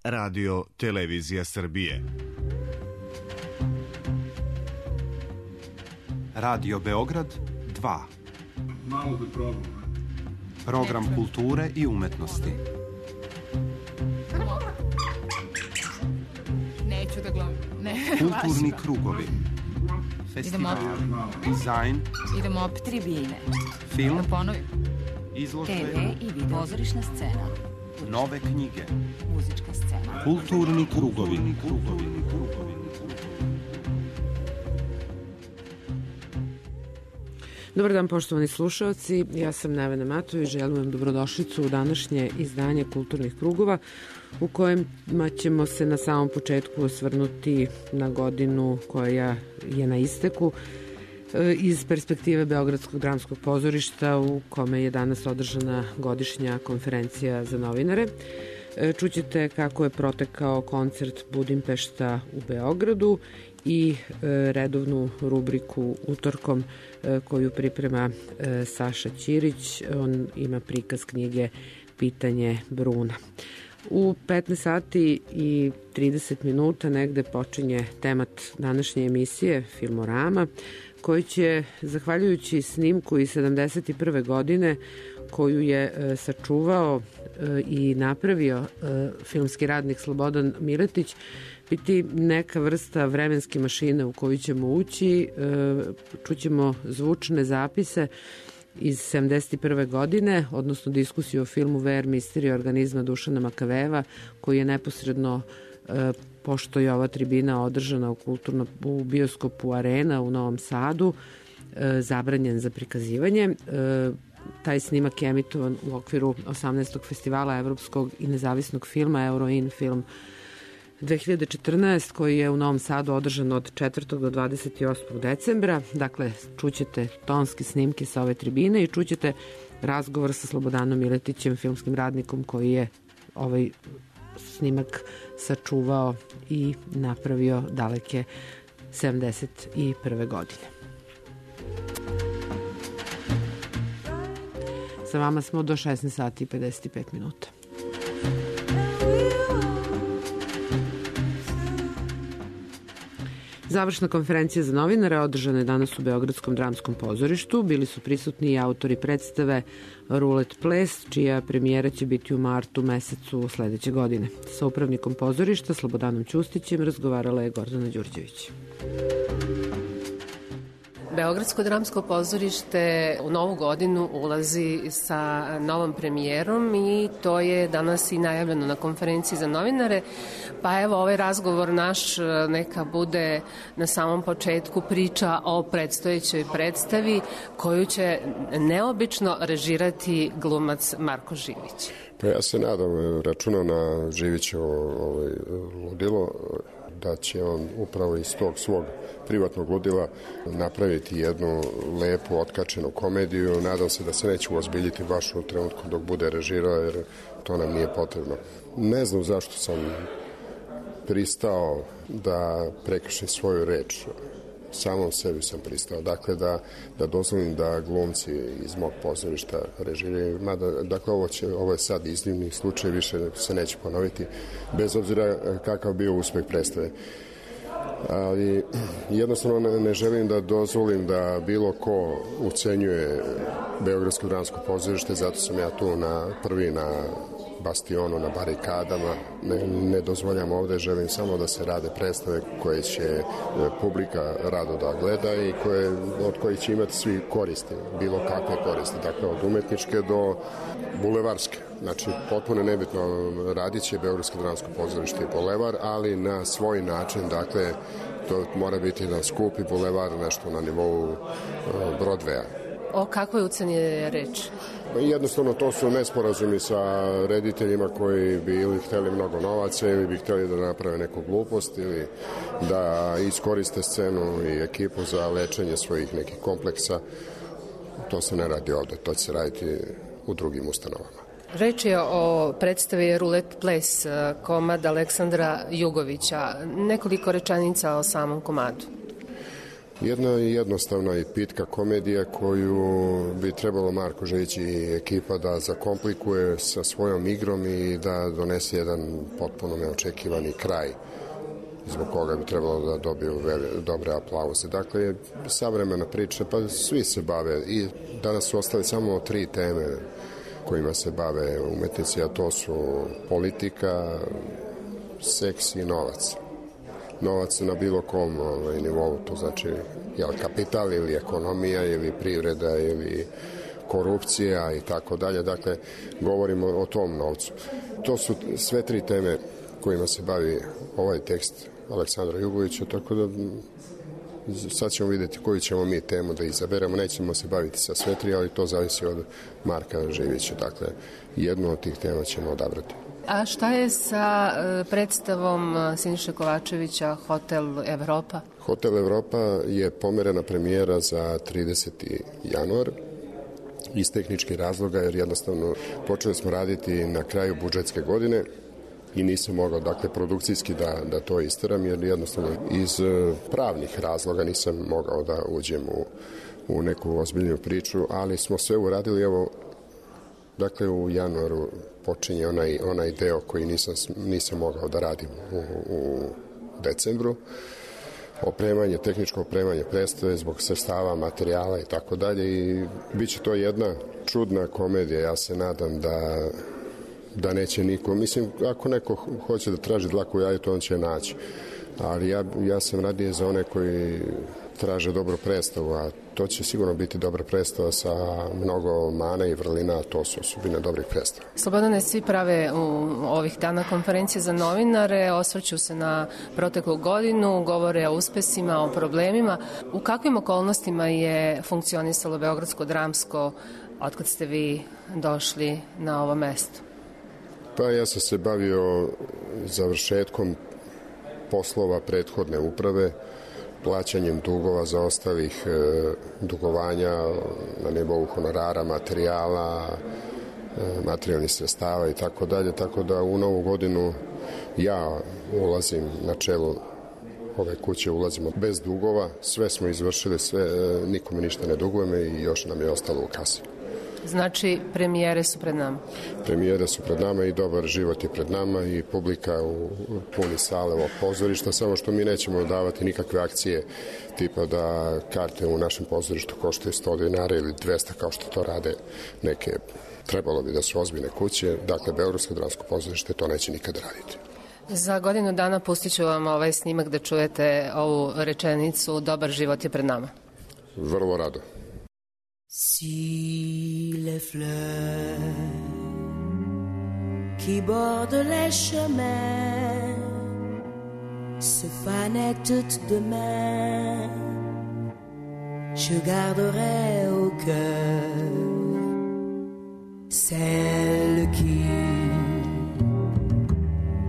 Radio Televizija Srbije. Radio Beograd 2. Malo da probam. Program kulture i umetnosti. Neću da glumim. Kulturni krugovi. Festival, dizajn. Idemo opet tribine. Film. Da ponovim. Izložbe. TV i video. Pozorišna scena. Nove knjige. Muzička scena. Kulturni krugovi. Dobar dan, poštovani slušalci, ja sam Nevena Matović, želim vam dobrodošlicu u današnje izdanje Kulturnih krugova u kojima ćemo se na samom početku osvrnuti na godinu koja je na isteku iz perspektive Beogradskog dramskog pozorišta u kome je danas održana godišnja konferencija za novinare. Čućete kako je protekao koncert Budimpešta u Beogradu i redovnu rubriku Utorkom koju priprema Saša Ćirić. On ima prikaz knjige Pitanje Bruna. U 15 sati i 30 minuta negde počinje temat današnje emisije Filmorama, koji će, zahvaljujući snimku iz 71. godine koju je sačuvao i napravio filmski radnik Slobodan Miletić, biti neka vrsta vremenske mašine u koju ćemo ući. Čućemo zvučne zapise iz 71. godine, odnosno diskusiju o filmu VR Misterija organizma Dušana Makavejeva, koji je neposredno, pošto je ova tribina održana u bioskopu Arena u Novom Sadu, zabranjen za prikazivanje. Taj snimak je emitovan u okviru 18. festivala evropskog i nezavisnog filma Euroin film 2014, koji je u Novom Sadu održan od 4. do 28. decembra. Dakle, čućete tonske snimke sa ove tribine i čućete razgovor sa Slobodanom Miletićem, filmskim radnikom koji je ovaj snimak sačuvao i napravio daleke 71. godine. Sa vama smo do 16 sati i 55 minuta. Završna konferencija za novinare održana je danas u Beogradskom dramskom pozorištu. Bili su prisutni i autori predstave Rulet ples, čija premijera će biti u martu mesecu sledeće godine. Sa upravnikom pozorišta Slobodanom Ćustićem razgovarala je Gordana Đurđević. Beogradsko dramsko pozorište u novu godinu ulazi sa novom premijerom i to je danas i najavljeno na konferenciji za novinare. Pa evo, ovaj razgovor naš neka bude na samom početku priča o predstojećoj predstavi koju će neobično režirati glumac Marko Živić. Pa ja se nadam, računam na Živićevo ludilo, da će on upravo iz tog svog privatnog ludila napraviti jednu lepu, otkačenu komediju. Nadam se da se neće uozbiljiti baš u trenutku dok bude režirao, jer to nam nije potrebno. Ne znam zašto sam pristao da prekršim svoju reč. Samom sebi sam pristao. Dakle, da dozvolim da glumci iz mog pozorišta režiraju. Dakle, ovo je sad iznimni slučaj, više se neće ponoviti, bez obzira kakav bio uspeh predstave. Ali jednostavno ne želim da dozvolim da bilo ko ucenjuje Beogradsko dramsko pozorište, zato sam ja tu prvi na bastionu, na barikadama. Ne dozvoljam ovde, želim samo da se rade predstave koje će publika rado da gleda i od kojih će imati svi koristi, bilo kakve koristi, dakle od umetničke do bulevarske. Znači, potpuno nebitno, radit će Beogradsko dramsko pozorište i bulevar, ali na svoj način, dakle, to mora biti jedan skupi bulevar, nešto na nivou Broadwaya. O kakvoj uceni je reč? Jednostavno, to su nesporazumi sa rediteljima koji bi ili hteli mnogo novaca ili bi hteli da naprave neku glupost ili da iskoriste scenu i ekipu za lečenje svojih nekih kompleksa. To se ne radi ovde, to će se raditi u drugim ustanovama. Reč je o predstavi Rulet ples, komad Aleksandra Jugovića. Nekoliko rečenica o samom komadu. Jedna jednostavna i pitka komedija koju bi trebalo Marko Žević i ekipa da zakomplikuje sa svojom igrom i da donese jedan potpuno neočekivani kraj zbog koga bi trebalo da dobiju dobre aplauze. Dakle, savremena priča, pa svi se bave i danas su ostali samo 3 teme kojima se bave umetnici, a to su politika, seks i novac. Novac na bilo kom nivou, to znači kapital ili ekonomija ili privreda ili korupcija i tako dalje. Dakle, govorimo o tom novcu. To su sve 3 teme kojima se bavi ovaj tekst Aleksandra Jugovića, tako da sad ćemo vidjeti koju ćemo mi temu da izaberemo. Nećemo se baviti sa sve 3, ali to zavisi od Marka Ževića. Dakle, jednu od tih tema ćemo odabrati. A šta je sa predstavom Siniše Kovačevića Hotel Evropa? Hotel Evropa je pomerena premijera za 30. januar iz tehničkih razloga, jer jednostavno počeli smo raditi na kraju budžetske godine i nisam mogao, dakle, produkcijski da to isteram, jer jednostavno iz pravnih razloga nisam mogao da uđem u neku ozbiljnu priču, ali smo sve uradili, evo, dakle, u januaru počinje onaj deo koji nisam mogao da radim u decembru. Tehničko opremanje predstave zbog sredstava, materijala i tako dalje, i bit će to jedna čudna komedija. Ja se nadam da neće niko, mislim, ako neko hoće da traži dlaku u jajetu, on će naći, ali ja sam radije za one koji traže dobru predstavu, a to će sigurno biti dobra predstava sa mnogo mana i vrlina, a to su osobine dobrih predstava. Slobodane, svi prave u ovih dana konferencije za novinare, osvrću se na proteklu godinu, govore o uspesima, o problemima. U kakvim okolnostima je funkcionisalo Beogradsko dramsko otkad ste vi došli na ovo mesto? Pa ja sam se bavio završetkom poslova prethodne uprave, plaćanjem dugova za ostalih dugovanja na nivou honorara, materijala, materijalnih sredstava i tako dalje, tako da u novu godinu ja ulazim na čelu ove kuće, ulazimo bez dugova, sve smo izvršili, nikome ništa ne dugujemo i još nam je ostalo u kasi. Znači, premijere su pred nama? Premijere su pred nama i dobar život je pred nama i publika u puni sale ovog pozorišta, samo što mi nećemo davati nikakve akcije tipa da karte u našem pozorištu koštaju 100 dinara ili 200 kao što to rade neke, trebalo bi da su ozbiljne kuće. Dakle, Beogradsko dramsko pozorište to neće nikad raditi. Za godinu dana pustit ću vam ovaj snimak da čujete ovu rečenicu "Dobar život je pred nama". Vrlo rado. Si les fleurs qui bordent les chemins se fanaient toutes demain, je garderai au cœur celle qui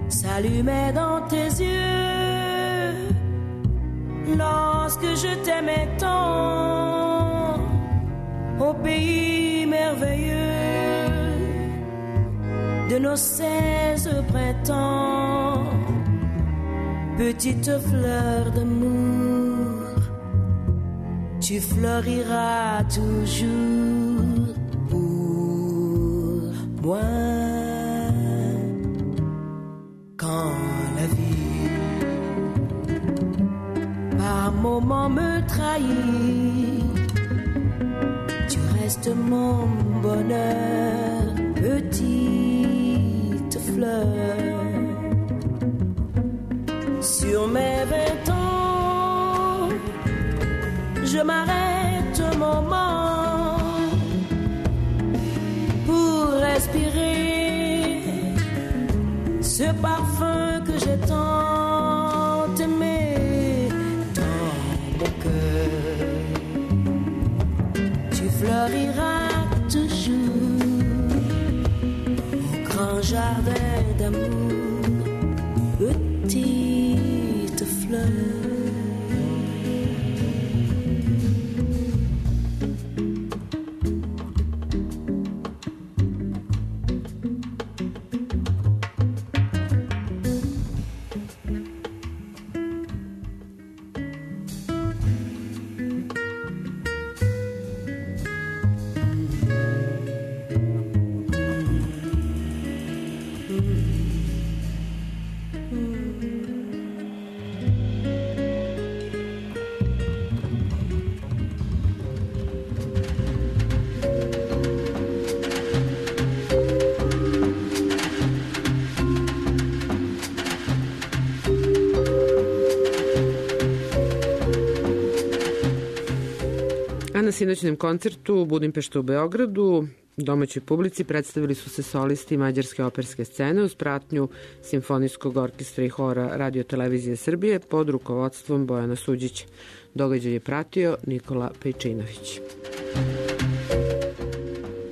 s'allumait dans tes yeux lorsque je t'aimais tant au pays merveilleux de nos 16 printemps. Petite fleur d'amour, tu floriras toujours pour moi. Quand la vie par moments me trahit, tu restes mon bonheur, petite fleur. Sur mes 20 ans, je m'arrête un moment pour respirer ce parfum que j'ai tant aimé dans mon cœur. Tu floriras toujours au grand jardin d'amour, petite fleur. Na sinoćnem koncertu u Budimpeštu u Beogradu domaćoj publici predstavili su se solisti mađarske operske scene uz pratnju Simfonijskog orkestra i hora Radio Televizije Srbije pod rukovodstvom Bojana Suđića. Događaj je pratio Nikola Pejčinović.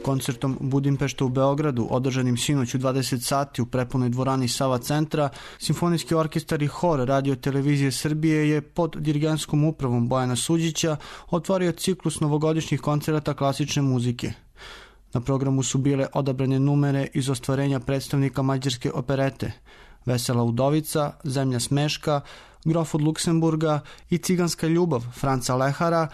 Koncertom Budimpešta u Beogradu, održanim sinoć u 20 sati u prepunoj dvorani Sava centra, Simfonijski orkestar i hor Radio Televizije Srbije je pod dirigentskom upravom Bojana Suđića otvorio ciklus novogodišnjih koncerata klasične muzike. Na programu su bile odabrane numere iz ostvarenja predstavnika mađarske operete Vesela udovica, Zemlja smeška, Grof od Luksemburga i Ciganska ljubav Franca Lehara,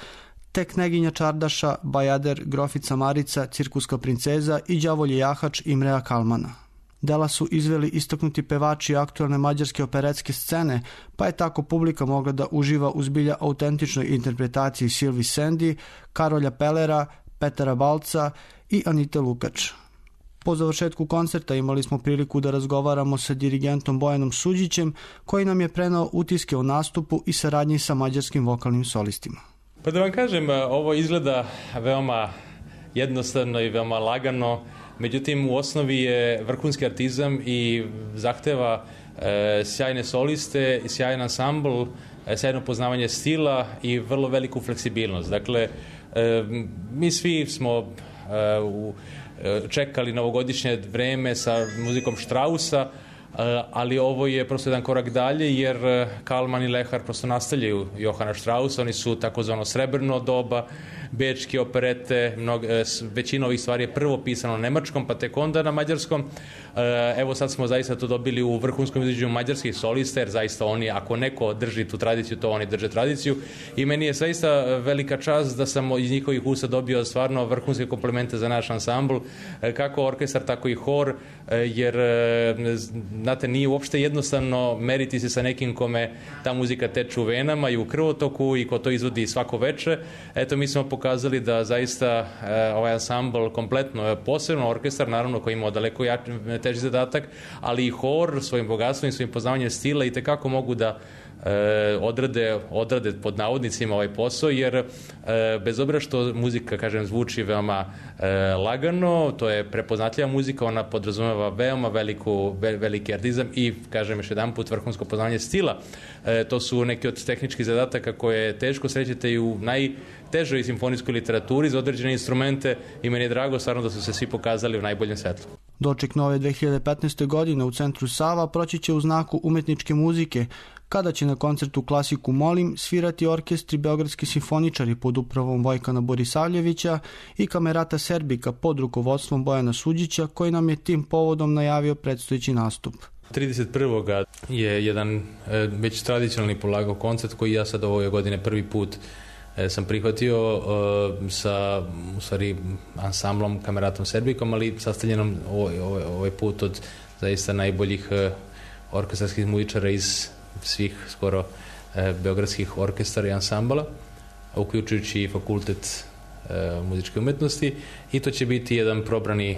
te Kneginja Čardaša, Bajader, Grofica Marica, Cirkuska princeza i Đavolji jahač Imrea Kalmana. Dela su izveli istaknuti pevači aktualne mađarske operetske scene, pa je tako publika mogla da uživa u zbilja autentičnoj interpretaciji Silvi Sendi, Karolja Pelera, Petara Balca i Anite Lukač. Po završetku koncerta imali smo priliku da razgovaramo sa dirigentom Bojanom Suđićem, koji nam je prenao utiske o nastupu i saradnji sa mađarskim vokalnim solistima. Pa da vam kažem, ovo izgleda veoma jednostavno i veoma lagano, međutim u osnovi je vrhunski artizam i zahteva sjajne soliste, sjajan ansambl, sjajno poznavanje stila i vrlo veliku fleksibilnost. Dakle, mi svi smo čekali novogodišnje vreme sa muzikom Strausa, ali ovo je prosto jedan korak dalje, jer Kalman i Lehar prosto nastavljaju Johana Strausa, oni su takozvano srebrno doba, bečke operete, većina ovih stvari je prvo pisano na nemačkom, pa tek onda na mađarskom. Evo sad smo zaista to dobili u vrhunskom izvođenju mađarskih solista, jer zaista oni, ako neko drži tu tradiciju, to oni drže tradiciju. I meni je zaista velika čast da sam iz njihovih usta dobio stvarno vrhunske komplimente za naš ansambl, kako orkestar, tako i hor, jer znate, nije uopšte jednostavno meriti se sa nekim kome ta muzika teče u venama i u krvotoku i ko to izvodi svako veče. Eto, mi smo pokazali da zaista ovaj ansambl kompletno, posebno orkestar, naravno, koji ima daleko teži zadatak, ali i hor svojim bogatstvom i svojim poznavanjem stila i tekako mogu da odrade pod navodnicima ovaj posao, jer bez obzira što muzika, kažem, zvuči veoma lagano, to je prepoznatljiva muzika, ona podrazumeva veoma veliki artizam i, kažem još jedan put, vrhunsko poznavanje stila. To su neki od tehničkih zadataka koje teško srećete i u najtežoj simfonijskoj literaturi za određene instrumente i meni je drago stvarno da su se svi pokazali u najboljem svetlu. Doček nove 2015. godine u centru Sava proći će u znaku umetničke muzike, kada će na koncertu Klasiku molim svirati orkestri Beogradski simfoničari pod upravom Vojkana Borisavljevića i Kamerata Serbika pod rukovodstvom Bojana Suđića, koji nam je tim povodom najavio predstojeći nastup. 31. je jedan već tradicionalni polagao koncert koji ja sad ove godine prvi put sam prihvatio sa, u stvari, ansamblom Kameratom Serbikom, ali sastavljenom ovaj put od zaista najboljih orkestarskih muzičara iz svih skoro beogradskih orkestara i ansambala, uključujući i fakultet muzičke umetnosti, i to će biti jedan probrani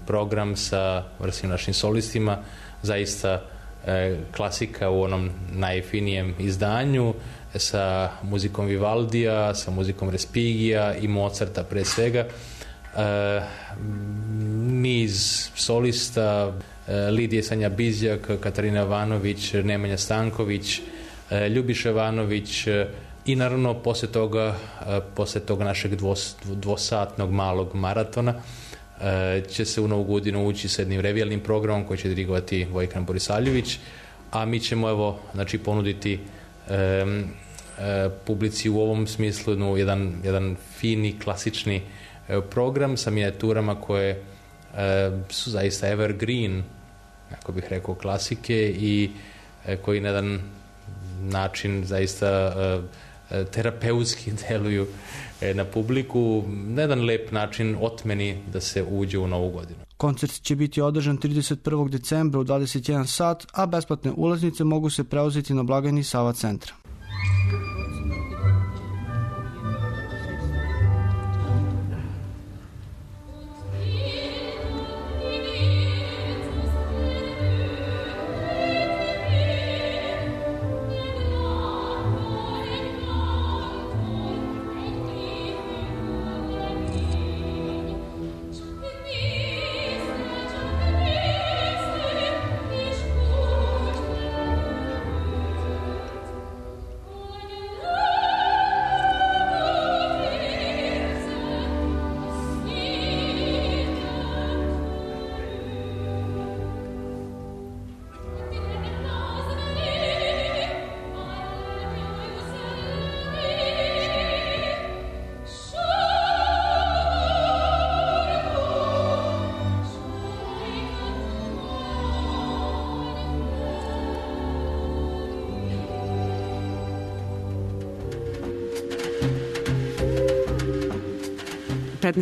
program sa vrsnim našim solistima, zaista klasika u onom najfinijem izdanju, sa muzikom Vivaldija, sa muzikom Respigija i Mozarta pre svega. Niz solista, Lidije Sanja Bizjak, Katarina Vanović, Nemanja Stanković, Ljubiša Vanović i naravno posle toga našeg dvosatnog malog maratona će se u Novu godinu ući sa jednim revijalnim programom koji će dirigovati Vojkan Borisavljević, a mi ćemo ponuditi publici u ovom smislu jedan fini, klasični program sa minijaturama koje su zaista evergreen, kako bih rekao, klasike i koji na jedan način zaista terapeutski deluju na publiku, na jedan lep način otmeni da se uđe u Novu godinu. Koncert će biti održan 31. decembra u 21 sat, a besplatne ulaznice mogu se preuzeti na blagajni Sava centra.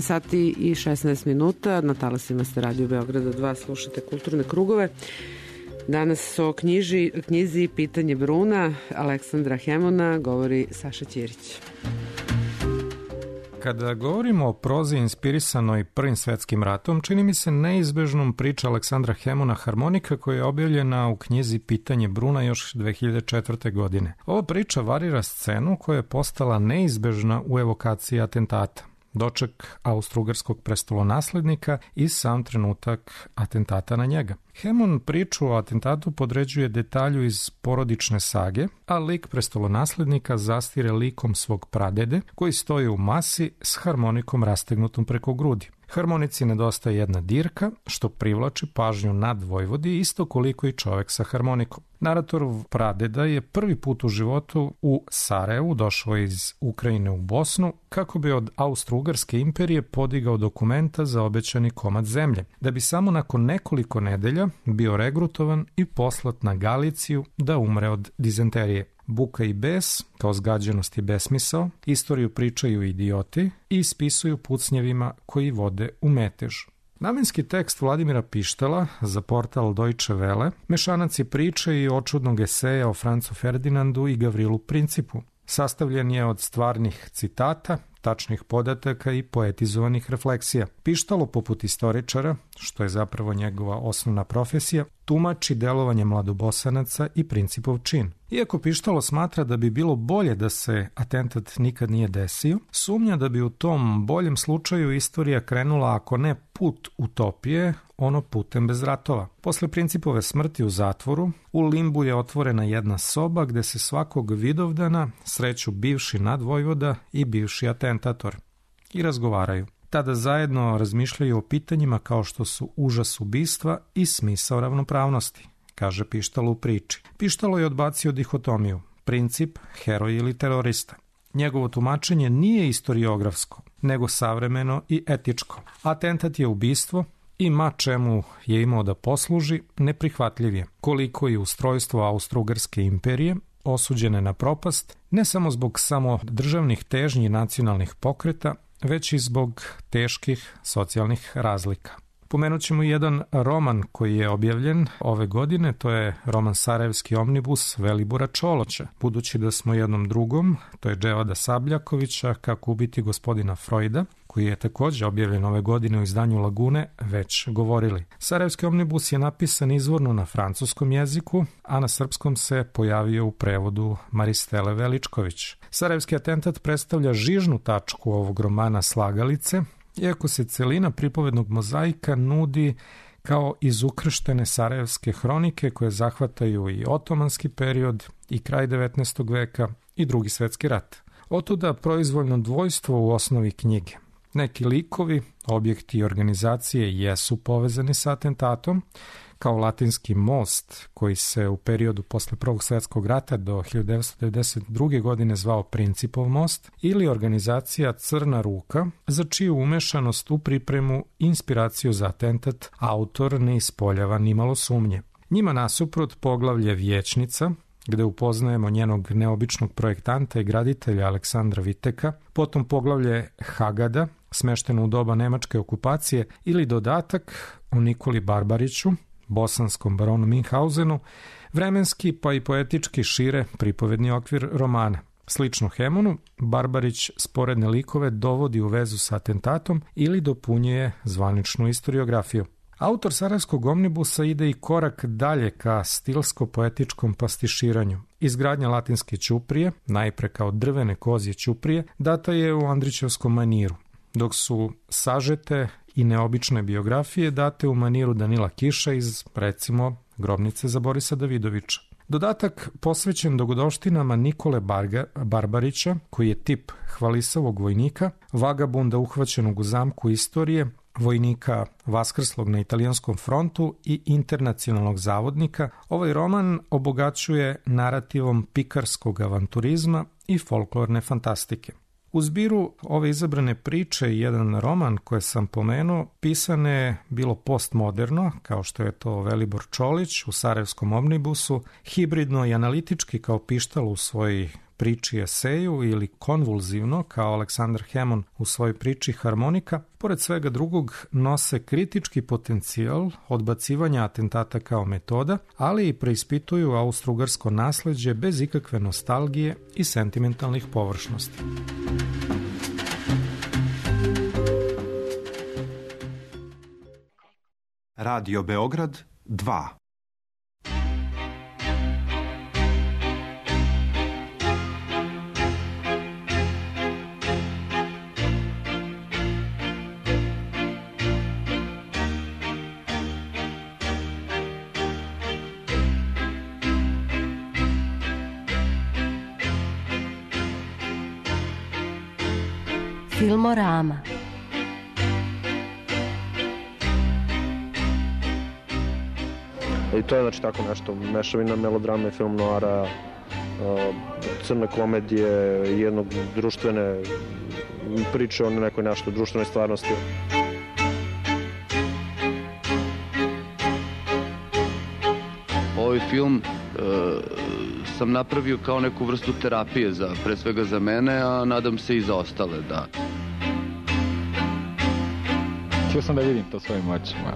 Sati i 16 minuta. Na talasima ste Radio Beograda 2, slušate Kulturne krugove. Danas o knjizi Pitanje Bruna Aleksandra Hemona govori Saša Ćirić. Kada govorimo o prozi inspirisanoj Prvim svetskim ratom, čini mi se neizbežnom priča Aleksandra Hemona Harmonika koja je objavljena u knjizi Pitanje Bruna još 2004. godine. Ova priča varira scenu koja je postala neizbežna u evokaciji atentata. Doček austrougarskog prestolonaslednika i sam trenutak atentata na njega. Hemon priču o atentatu podređuje detalju iz porodične sage, a lik prestolonaslednika zastire likom svog pradede koji stoji u masi s harmonikom rastegnutom preko grudi. Harmonici nedostaje jedna dirka, što privlači pažnju nad Vojvodi isto koliko i čovek sa harmonikom. Naratorov pradeda je prvi put u životu u Sarajevu došao iz Ukrajine u Bosnu kako bi od Austro-Ugarske imperije podigao dokumenta za obećani komad zemlje, da bi samo nakon nekoliko nedelja bio regrutovan i poslat na Galiciju da umre od dizenterije. Buka i bes, kao zgađenost i besmisao, istoriju pričaju idioti i ispisuju pucnjevima koji vode u metež. Namenski tekst Vladimira Pištala za portal Deutsche Welle mešanac je priče i očudnog eseja o Francu Ferdinandu i Gavrilu Principu. Sastavljen je od stvarnih citata, tačnih podataka i poetizovanih refleksija. Pištalo, poput istoričara, što je zapravo njegova osnovna profesija, tumači delovanje mladobosanaca i Principov čin. Iako Pištalo smatra da bi bilo bolje da se atentat nikad nije desio, sumnja da bi u tom boljem slučaju istorija krenula, ako ne put utopije, ono putem bez ratova. Posle Principove smrti u zatvoru, u Limbu je otvorena jedna soba gde se svakog Vidovdana sreću bivši nadvojvoda i bivši atentator i razgovaraju. Tada zajedno razmišljaju o pitanjima kao što su užas ubistva i smisao ravnopravnosti, kaže Pištalo u priči. Pištalo je odbacio dihotomiju, princip, heroj ili terorista. Njegovo tumačenje nije istoriografsko, nego savremeno i etičko. Atentat je ubistvo i ma čemu je imao da posluži, neprihvatljiv je. Koliko i ustrojstvo Austro-Ugarske imperije, osuđene na propast, ne samo zbog samo državnih težnji i nacionalnih pokreta, već i zbog teških socijalnih razlika. Pomenut ćemo jedan roman koji je objavljen ove godine, to je roman Sarajevski omnibus Velibora Čoloća. Budući da smo jednom drugom, to je Dževada Sabljakovića, Kako ubiti gospodina Freuda, koji je također objavljen ove godine u izdanju Lagune, već govorili. Sarajevski omnibus je napisan izvorno na francuskom jeziku, a na srpskom se pojavio u prevodu Maristele Veličković. Sarajevski atentat predstavlja žižnu tačku ovog romana Slagalice, iako se celina pripovednog mozaika nudi kao izukrštene sarajevske hronike koje zahvataju i otomanski period i kraj 19. veka i Drugi svetski rat. Otuda proizvoljno dvojstvo u osnovi knjige. Neki likovi, objekti i organizacije jesu povezani sa atentatom, kao Latinski most, koji se u periodu posle Prvog svjetskog rata do 1992. godine zvao Principov most, ili organizacija Crna ruka, za čiju umešanost u pripremu i inspiraciju za atentat autor ne ispoljava nimalo sumnje. Njima nasuprot poglavlje Vječnica, gde upoznajemo njenog neobičnog projektanta i graditelja Aleksandra Viteka, potom poglavlje Hagada, smešteno u doba nemačke okupacije, ili dodatak o Nikoli Barbariću, bosanskom baronu Minhausenu, vremenski pa i poetički šire pripovedni okvir romana. Slično Hemonu, Barbarić sporedne likove dovodi u vezu sa atentatom ili dopunjuje zvaničnu istoriografiju. Autor Sarajevskog omnibusa ide i korak dalje ka stilsko-poetičkom pastiširanju. Izgradnja latinske ćuprije, najpre kao drvene kozje ćuprije, data je u Andrićevskom maniru, dok su sažete i neobične biografije date u maniru Danila Kiša iz, recimo, Grobnice za Borisa Davidovića. Dodatak posvećen dogodovštinama Nikole Barbarića, koji je tip hvalisavog vojnika, vagabunda uhvaćenog u zamku istorije, vojnika vaskrslog na italijanskom frontu i internacionalnog zavodnika, ovaj roman obogaćuje narativom pikarskog avanturizma i folklorne fantastike. U zbiru ove izabrane priče i jedan roman koje sam pomenuo pisane bilo postmoderno, kao što je to Velibor Čolić u Sarajevskom omnibusu, hibridno i analitički kao Pištal u svojoj priči eseju ili konvulzivno kao Aleksandar Hemon u svojoj priči Harmonika, pored svega drugog nose kritički potencijal odbacivanja atentata kao metoda, ali i preispituju austrougarsko nasleđe bez ikakve nostalgije i sentimentalnih površnosti. Radio Beograd 2. Filmorama. I to je znači tako nešto, mešavina melodrame, film noara, crne komedije, jednog društvene priče o nekoj našoj društvenoj stvarnosti. Ovaj film sam napravio kao neku vrstu terapije, pre svega za mene, a nadam se i za ostale, da. Htio sam da vidim to svojim očima.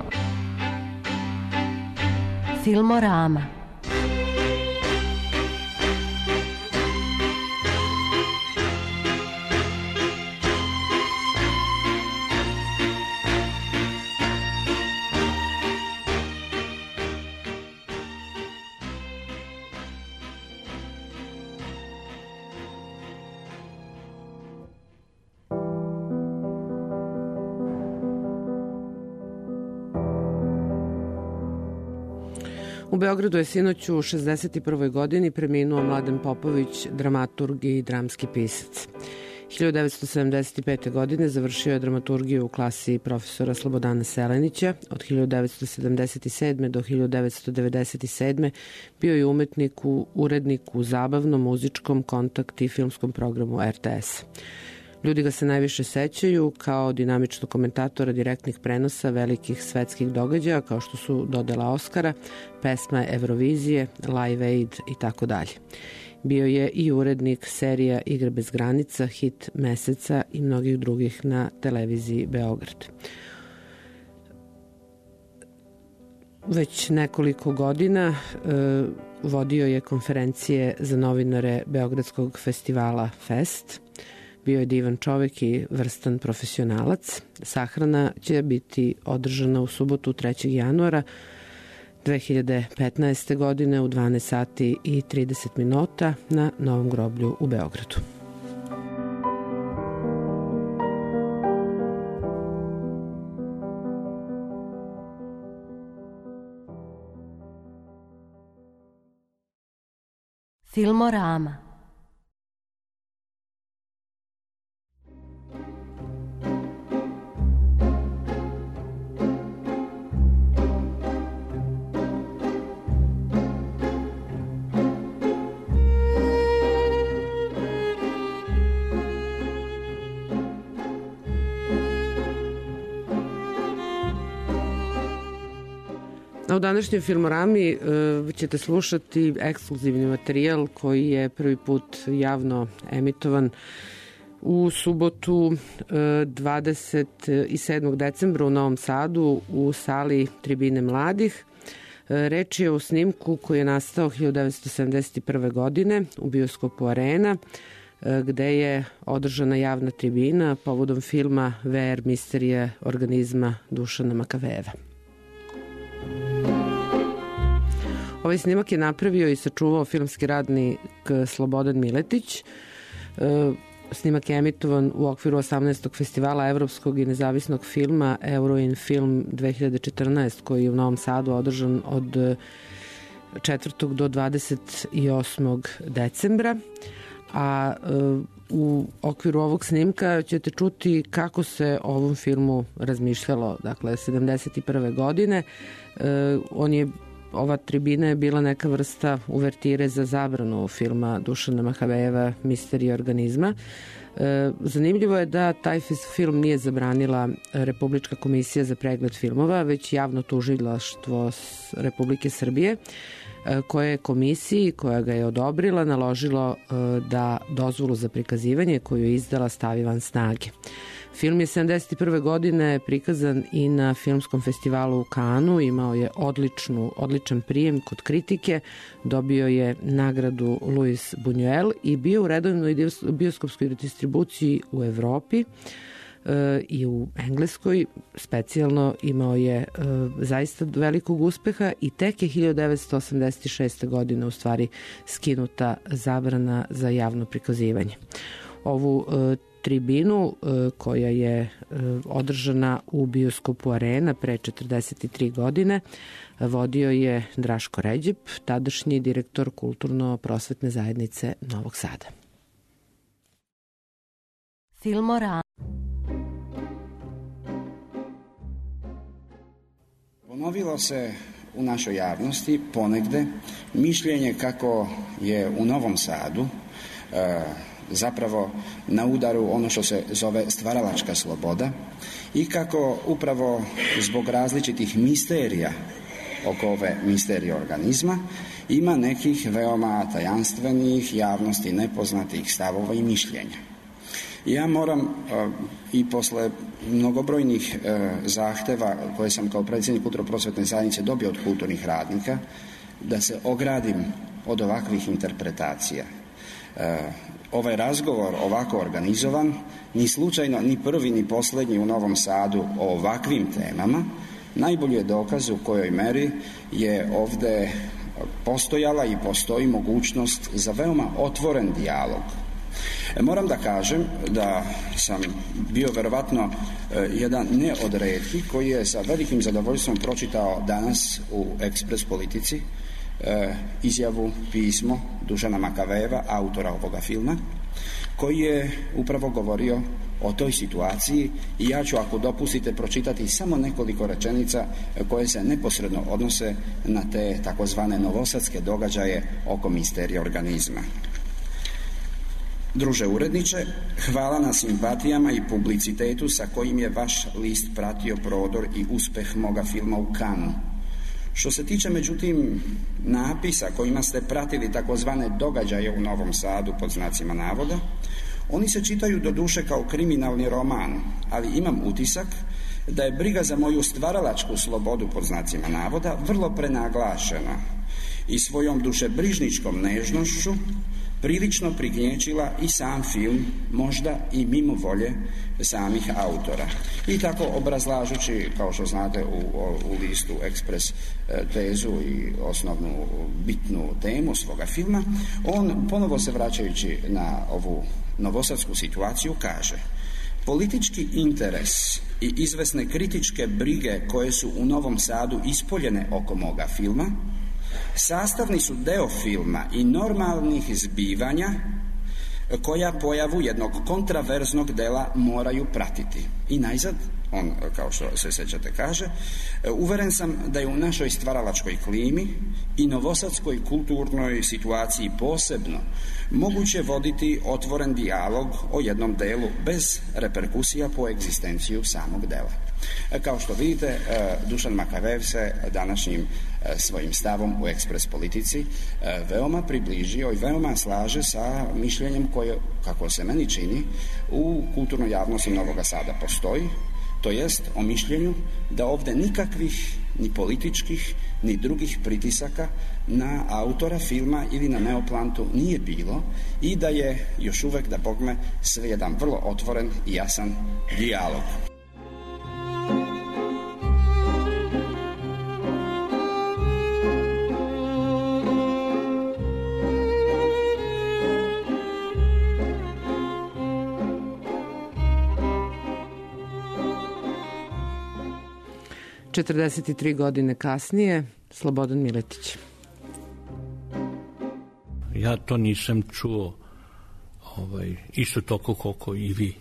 Filmorama. U Beogradu je sinoć u 61. godini preminuo Mladen Popović, dramaturg i dramski pisac. 1975. godine završio je dramaturgiju u klasi profesora Slobodana Selenića. Od 1977. do 1997. bio je urednik u zabavnom, muzičkom, kontakt i filmskom programu RTS. Ljudi ga se najviše sećaju kao dinamičnog komentatora direktnih prenosa velikih svetskih događaja kao što su dodela Oskara, pesma Eurovizije, Live Aid i tako dalje. Bio je i urednik serija Igre bez granica, Hit meseca i mnogih drugih na televiziji Beograd. Već nekoliko godina vodio je konferencije za novinare Beogradskog festivala Fest. Bio je divan čovek i vrstan profesionalac. Sahrana će biti održana u subotu 3. januara 2015. godine u 12 sati i 30 minuta na Novom groblju u Beogradu. Filmorama. A u današnjoj Filmorami ćete slušati ekskluzivni materijal koji je prvi put javno emitovan u subotu 27. decembra u Novom Sadu u sali Tribine mladih. Reč je o snimku koji je nastao 1971. godine u bioskopu Arena, gde je održana javna tribina povodom filma VR misterije organizma Dušana Makavejeva. Ovaj snimak je napravio i sačuvao filmski radnik Slobodan Miletić. Snimak je emitovan u okviru 18. festivala evropskog i nezavisnog filma Euroin Film 2014, koji je u Novom Sadu održan od 4. do 28. decembra. A u okviru ovog snimka ćete čuti kako se o ovom filmu razmišljalo, dakle 71. godine. Ova tribina je bila neka vrsta uvertire za zabranu filma Dušana Makavejeva Misterija organizma. Zanimljivo je da taj film nije zabranila Republička komisija za pregled filmova, već javno tužilaštvo Republike Srbije, koje je komisiji koja ga je odobrila naložilo da dozvolu za prikazivanje koju je izdala stavi van snage. Film je 71. godine prikazan i na filmskom festivalu u Kanu, imao je odličan prijem kod kritike, dobio je nagradu Louis Buñuel i bio u redovnoj bioskopskoj distribuciji u Evropi i u Engleskoj. Specijalno imao je zaista velikog uspeha i tek je 1986. godine u stvari skinuta zabrana za javno prikazivanje. Ovu tribinu koja je održana u bioskopu Arena pre 43 godine vodio je Draško Ređep, tadašnji direktor Kulturno-prosvetne zajednice Novog Sada. Filmorama. Ponovilo se u našoj javnosti ponegde mišljenje kako je u Novom Sadu zapravo na udaru ono što se zove stvaralačka sloboda i kako upravo zbog različitih misterija oko ove misterije organizma ima nekih veoma tajanstvenih, javnosti nepoznatih stavova i mišljenja. Ja moram i posle mnogobrojnih zahteva koje sam kao predsjednik Kulturno-prosvetne zajednice dobio od kulturnih radnika da se ogradim od ovakvih interpretacija. Ovaj razgovor ovako organizovan, ni slučajno, ni prvi, ni posljednji u Novom Sadu o ovakvim temama, najbolji je dokaz u kojoj meri je ovde postojala i postoji mogućnost za veoma otvoren dijalog. Moram da kažem da sam bio verovatno jedan ne od retkih koji je sa velikim zadovoljstvom pročitao danas u Ekspres Politici izjavu, pismo Dušana Makavejeva, autora ovoga filma, koji je upravo govorio o toj situaciji i ja ću, ako dopustite, pročitati samo nekoliko rečenica koje se neposredno odnose na te takozvane novosadske događaje oko misterije organizma. Druže uredniče, hvala na simpatijama i publicitetu sa kojim je vaš list pratio prodor i uspeh moga filma u Kanu. Što se tiče, međutim, napisa kojima ste pratili takozvane događaje u Novom Sadu pod znacima navoda, oni se čitaju do duše kao kriminalni roman, ali imam utisak da je briga za moju stvaralačku slobodu pod znacima navoda vrlo prenaglašena i svojom dušebrižničkom nežnošću prilično prignječila i sam film, možda i mimo volje samih autora. I tako, obrazlažući, kao što znate, u listu Ekspres tezu i osnovnu bitnu temu svoga filma, on, ponovo se vraćajući na ovu novosadsku situaciju, kaže: politički interes i izvesne kritičke brige koje su u Novom Sadu ispoljene oko moga filma sastavni su deo filma i normalnih zbivanja koja pojavu jednog kontraverznog dela moraju pratiti. I najzad, on, kao što se sećate, kaže, uveren sam da je u našoj stvaralačkoj klimi i novosadskoj kulturnoj situaciji posebno moguće voditi otvoren dijalog o jednom delu bez reperkusija po egzistenciju samog dela. Kao što vidite, Dušan Makavejev se današnjim svojim stavom u ekspres politici veoma približio i veoma slaže sa mišljenjem koje, kako se meni čini, u kulturnoj javnosti Novoga Sada postoji, to jest o mišljenju da ovde nikakvih ni političkih ni drugih pritisaka na autora filma ili na Neoplantu nije bilo i da je još uvek, da bogme, sve jedan vrlo otvoren i jasan dijalog. – 43 godine kasnije, Slobodan Miletić. Ja to nisam čuo isto toliko koliko i vi.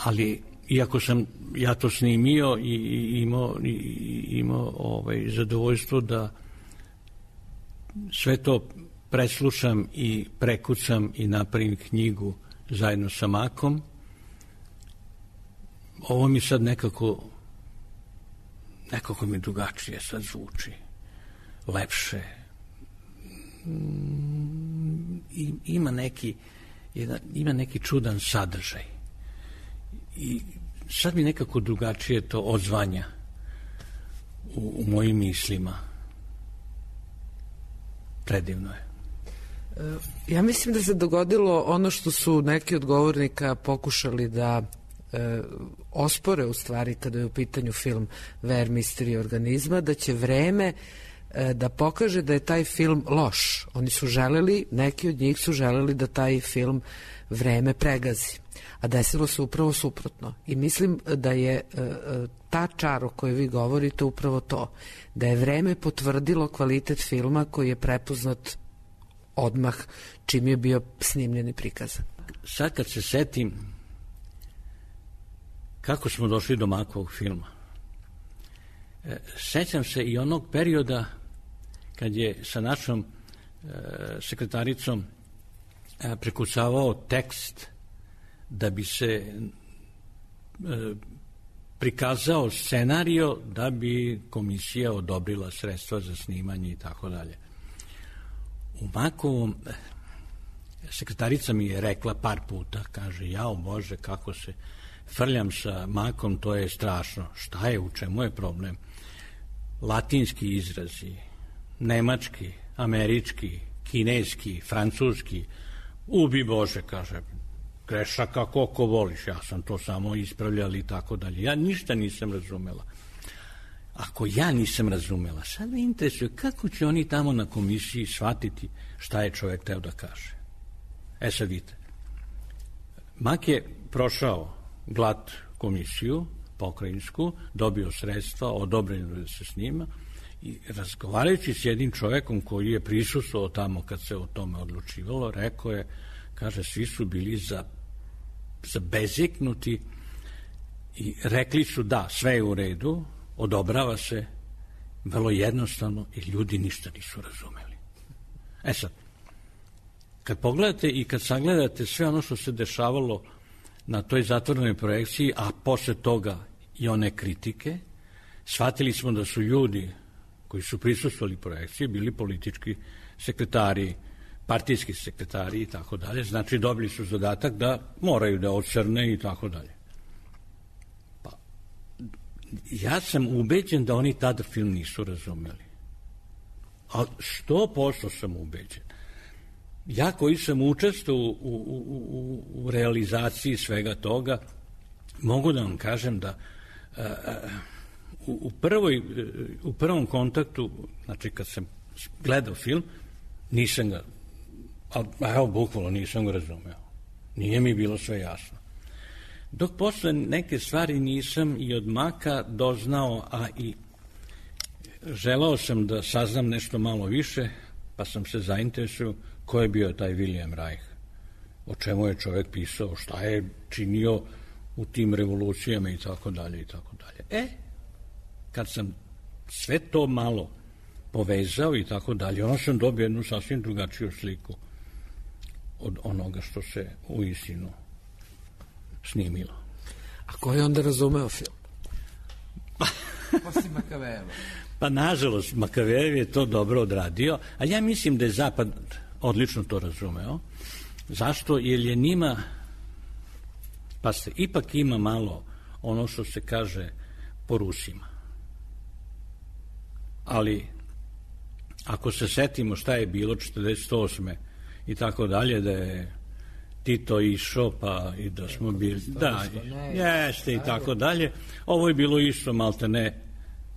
Ali, iako sam ja to snimio i imao zadovoljstvo da sve to preslušam i prekucam i napravim knjigu zajedno sa Makom, ovo mi sad nekako mi drugačije sad zvuči, lepše. Ima neki čudan sadržaj. I sad mi nekako drugačije to odzvanja u mojim mislima. Predivno je. Ja mislim da se dogodilo ono što su neki od govornika pokušali da ospore u stvari kada je u pitanju film Ver misterij organizma, da će vreme da pokaže da je taj film loš. Oni su želeli, neki od njih su želeli da taj film vreme pregazi. A desilo se upravo suprotno. I mislim da je ta čar o kojoj vi govorite upravo to. Da je vreme potvrdilo kvalitet filma koji je prepoznat odmah čim je bio snimljen i prikazan. Sad kad se setim kako smo došli do Makovog filma, sećam se i onog perioda kad je sa našom sekretaricom prekucavao tekst da bi se prikazao scenario da bi komisija odobrila sredstva za snimanje i tako dalje. U Makovom sekretarica mi je rekla par puta, kaže, jao Bože, kako se frljam sa Makom, to je strašno. Šta je, u čemu je problem? Latinski izrazi, nemački, američki, kineski, francuski, ubi Bože, kaže, grešaka koliko voliš, ja sam to samo ispravljala i tako dalje. Ja ništa nisam razumela. Ako ja nisam razumela, sad me interesuje kako će oni tamo na komisiji shvatiti šta je čovjek teo da kaže. Sad vidite, Mak je prošao glat komisiju pokrajinsku, dobio sredstva, odobreno da se snima i razgovarajući s jednim čovjekom koji je prisustvovao tamo kad se o tome odlučivalo, rekao je, kaže, svi su bili zabezeknuti i rekli su da, sve je u redu, odobrava se, vrlo jednostavno, i ljudi ništa nisu razumeli. Sad, kad pogledate i kad sagledate sve ono što se dešavalo na toj zatvorenoj projekciji, a posle toga i one kritike, shvatili smo da su ljudi koji su prisustvovali projekciji bili politički sekretari, partijski sekretari i tako dalje, znači dobili su zadatak da moraju da ocrne i tako dalje. Pa, ja sam ubeđen da oni tada film nisu razumeli. A 100% sam ubeđen. Ja koji sam učestvovao u realizaciji svega toga, mogu da vam kažem da u prvom kontaktu, znači kad sam gledao film, nisam ga, evo bukvalno nisam ga razumeo. Nije mi bilo sve jasno. Dok posle neke stvari nisam i od Maka doznao, a i želao sam da saznam nešto malo više, pa sam se zainteresuo ko je bio taj William Reich, o čemu je čovjek pisao, šta je činio u tim revolucijama i tako dalje i tako dalje. Kad sam sve to malo povezao i tako dalje, onda sam dobio jednu sasvim drugačiju sliku od onoga što se uistinu snimilo. A ko je onda razumeo film? Osim Makavejeva. Pa nažalost, Makavejev je to dobro odradio, ali ja mislim da je Zapad odlično to razumeo. Zašto? Jer je njima, pa se ipak ima malo ono što se kaže po Rusima. Ali ako se setimo šta je bilo 48. i tako dalje, da je Tito išao, pa i da smo bili, da, jeste i tako dalje, ovo je bilo isto malte ne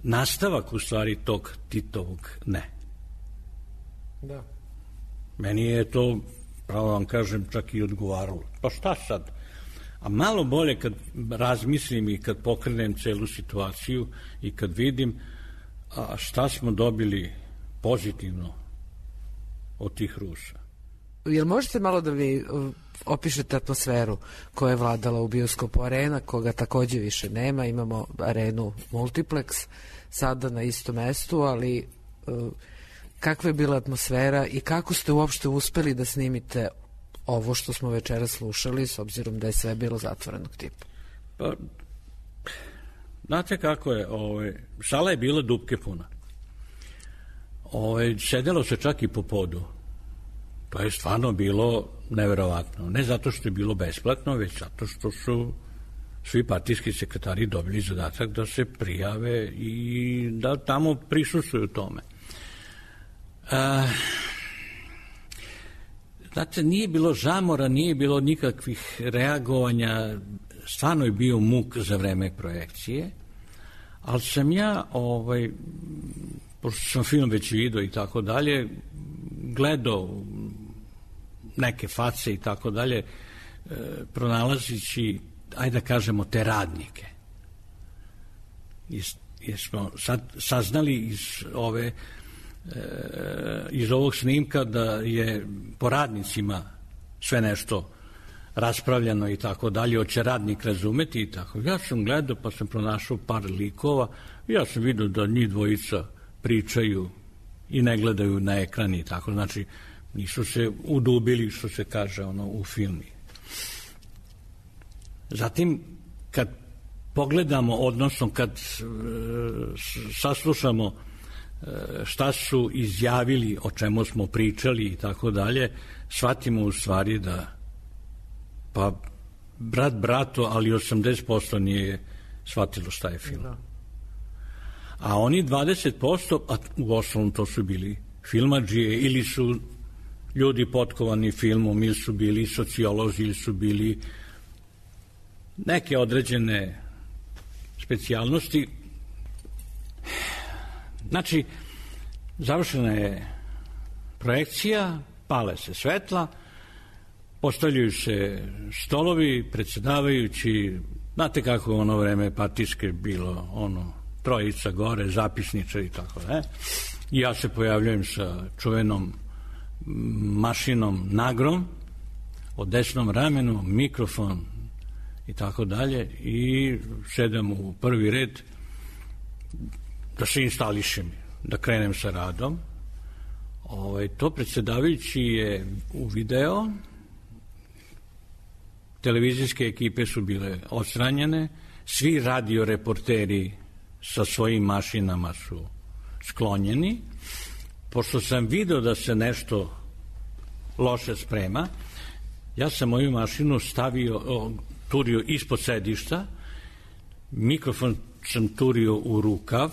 nastavak u stvari tog Titovog ne. Da. Meni je to, pravo vam kažem, čak i odgovaralo. Pa šta sad? A malo bolje kad razmislim i kad pokrenem celu situaciju i kad vidim šta smo dobili pozitivno od tih Rusa. Jel možete malo da mi opišete atmosferu koja je vladala u bioskopu Arena, koga takođe više nema, imamo Arenu Multiplex sada na istom mestu, ali kakva je bila atmosfera i kako ste uopšte uspeli da snimite ovo što smo večera slušali, s obzirom da je sve bilo zatvorenog tipa? Pa, znate kako je, sala je bila dupke puna. Sedelo se čak i po podu. To je stvarno bilo neverovatno. Ne zato što je bilo besplatno, već zato što su svi partijski sekretari dobili zadatak da se prijave i da tamo prisustvuju tome. Znate, nije bilo žamora, nije bilo nikakvih reagovanja, stvarno je bio muk za vreme projekcije, ali sam ja, pošto sam film već vidio i tako dalje, gledao neke face i tako dalje, pronalazići, ajde da kažemo, te radnike. Jer smo sad saznali iz ovog snimka da je po radnicima sve nešto raspravljano i tako dalje, hoće radnik razumeti i tako. Ja sam gledao pa sam pronašao par likova, ja sam vidio da njih dvojica pričaju i ne gledaju na ekran i tako, znači nisu se udubili, što se kaže u filmi. Zatim, kad pogledamo, odnosno kad saslušamo šta su izjavili, o čemu smo pričali i tako dalje, shvatimo u stvari da pa brat brato, ali 80% nije shvatilo šta je film. A oni 20%, a u osnovom to su bili filmadžije ili su ljudi potkovani filmom, ili su bili sociolozi, ili su bili neke određene specijalnosti. Znači, završena je projekcija, pale se svetla, postavljaju se stolovi, predsedavajući, znate kako je ono vreme partijske bilo, trojica gore, zapisničar i tako da. Ja se pojavljujem sa čuvenom mašinom Nagrom, o desnom ramenu, mikrofon i tako dalje i sedem u prvi red da se instališem, da krenem sa radom. To predsedavajući je uvideo, televizijske ekipe su bile odstranjene, svi radioreporteri sa svojim mašinama su sklonjeni. Pošto sam video da se nešto loše sprema, ja sam moju mašinu turio ispod sedišta, mikrofon sam turio u rukav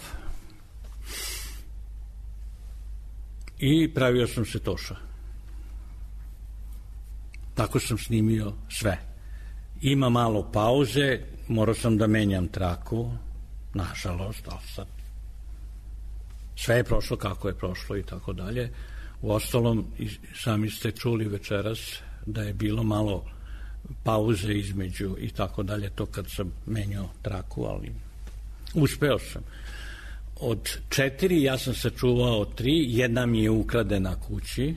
i pravio sam se Toša. Tako sam snimio sve. Ima malo pauze, morao sam da menjam traku, nažalost, ali sad sve je prošlo kako je prošlo i tako dalje. Uostalom, sami ste čuli večeras da je bilo malo pauze između i tako dalje, to kad sam menjao traku, ali uspeo sam. Od 4 ja sam sačuvao 3, jedna mi je ukradena kući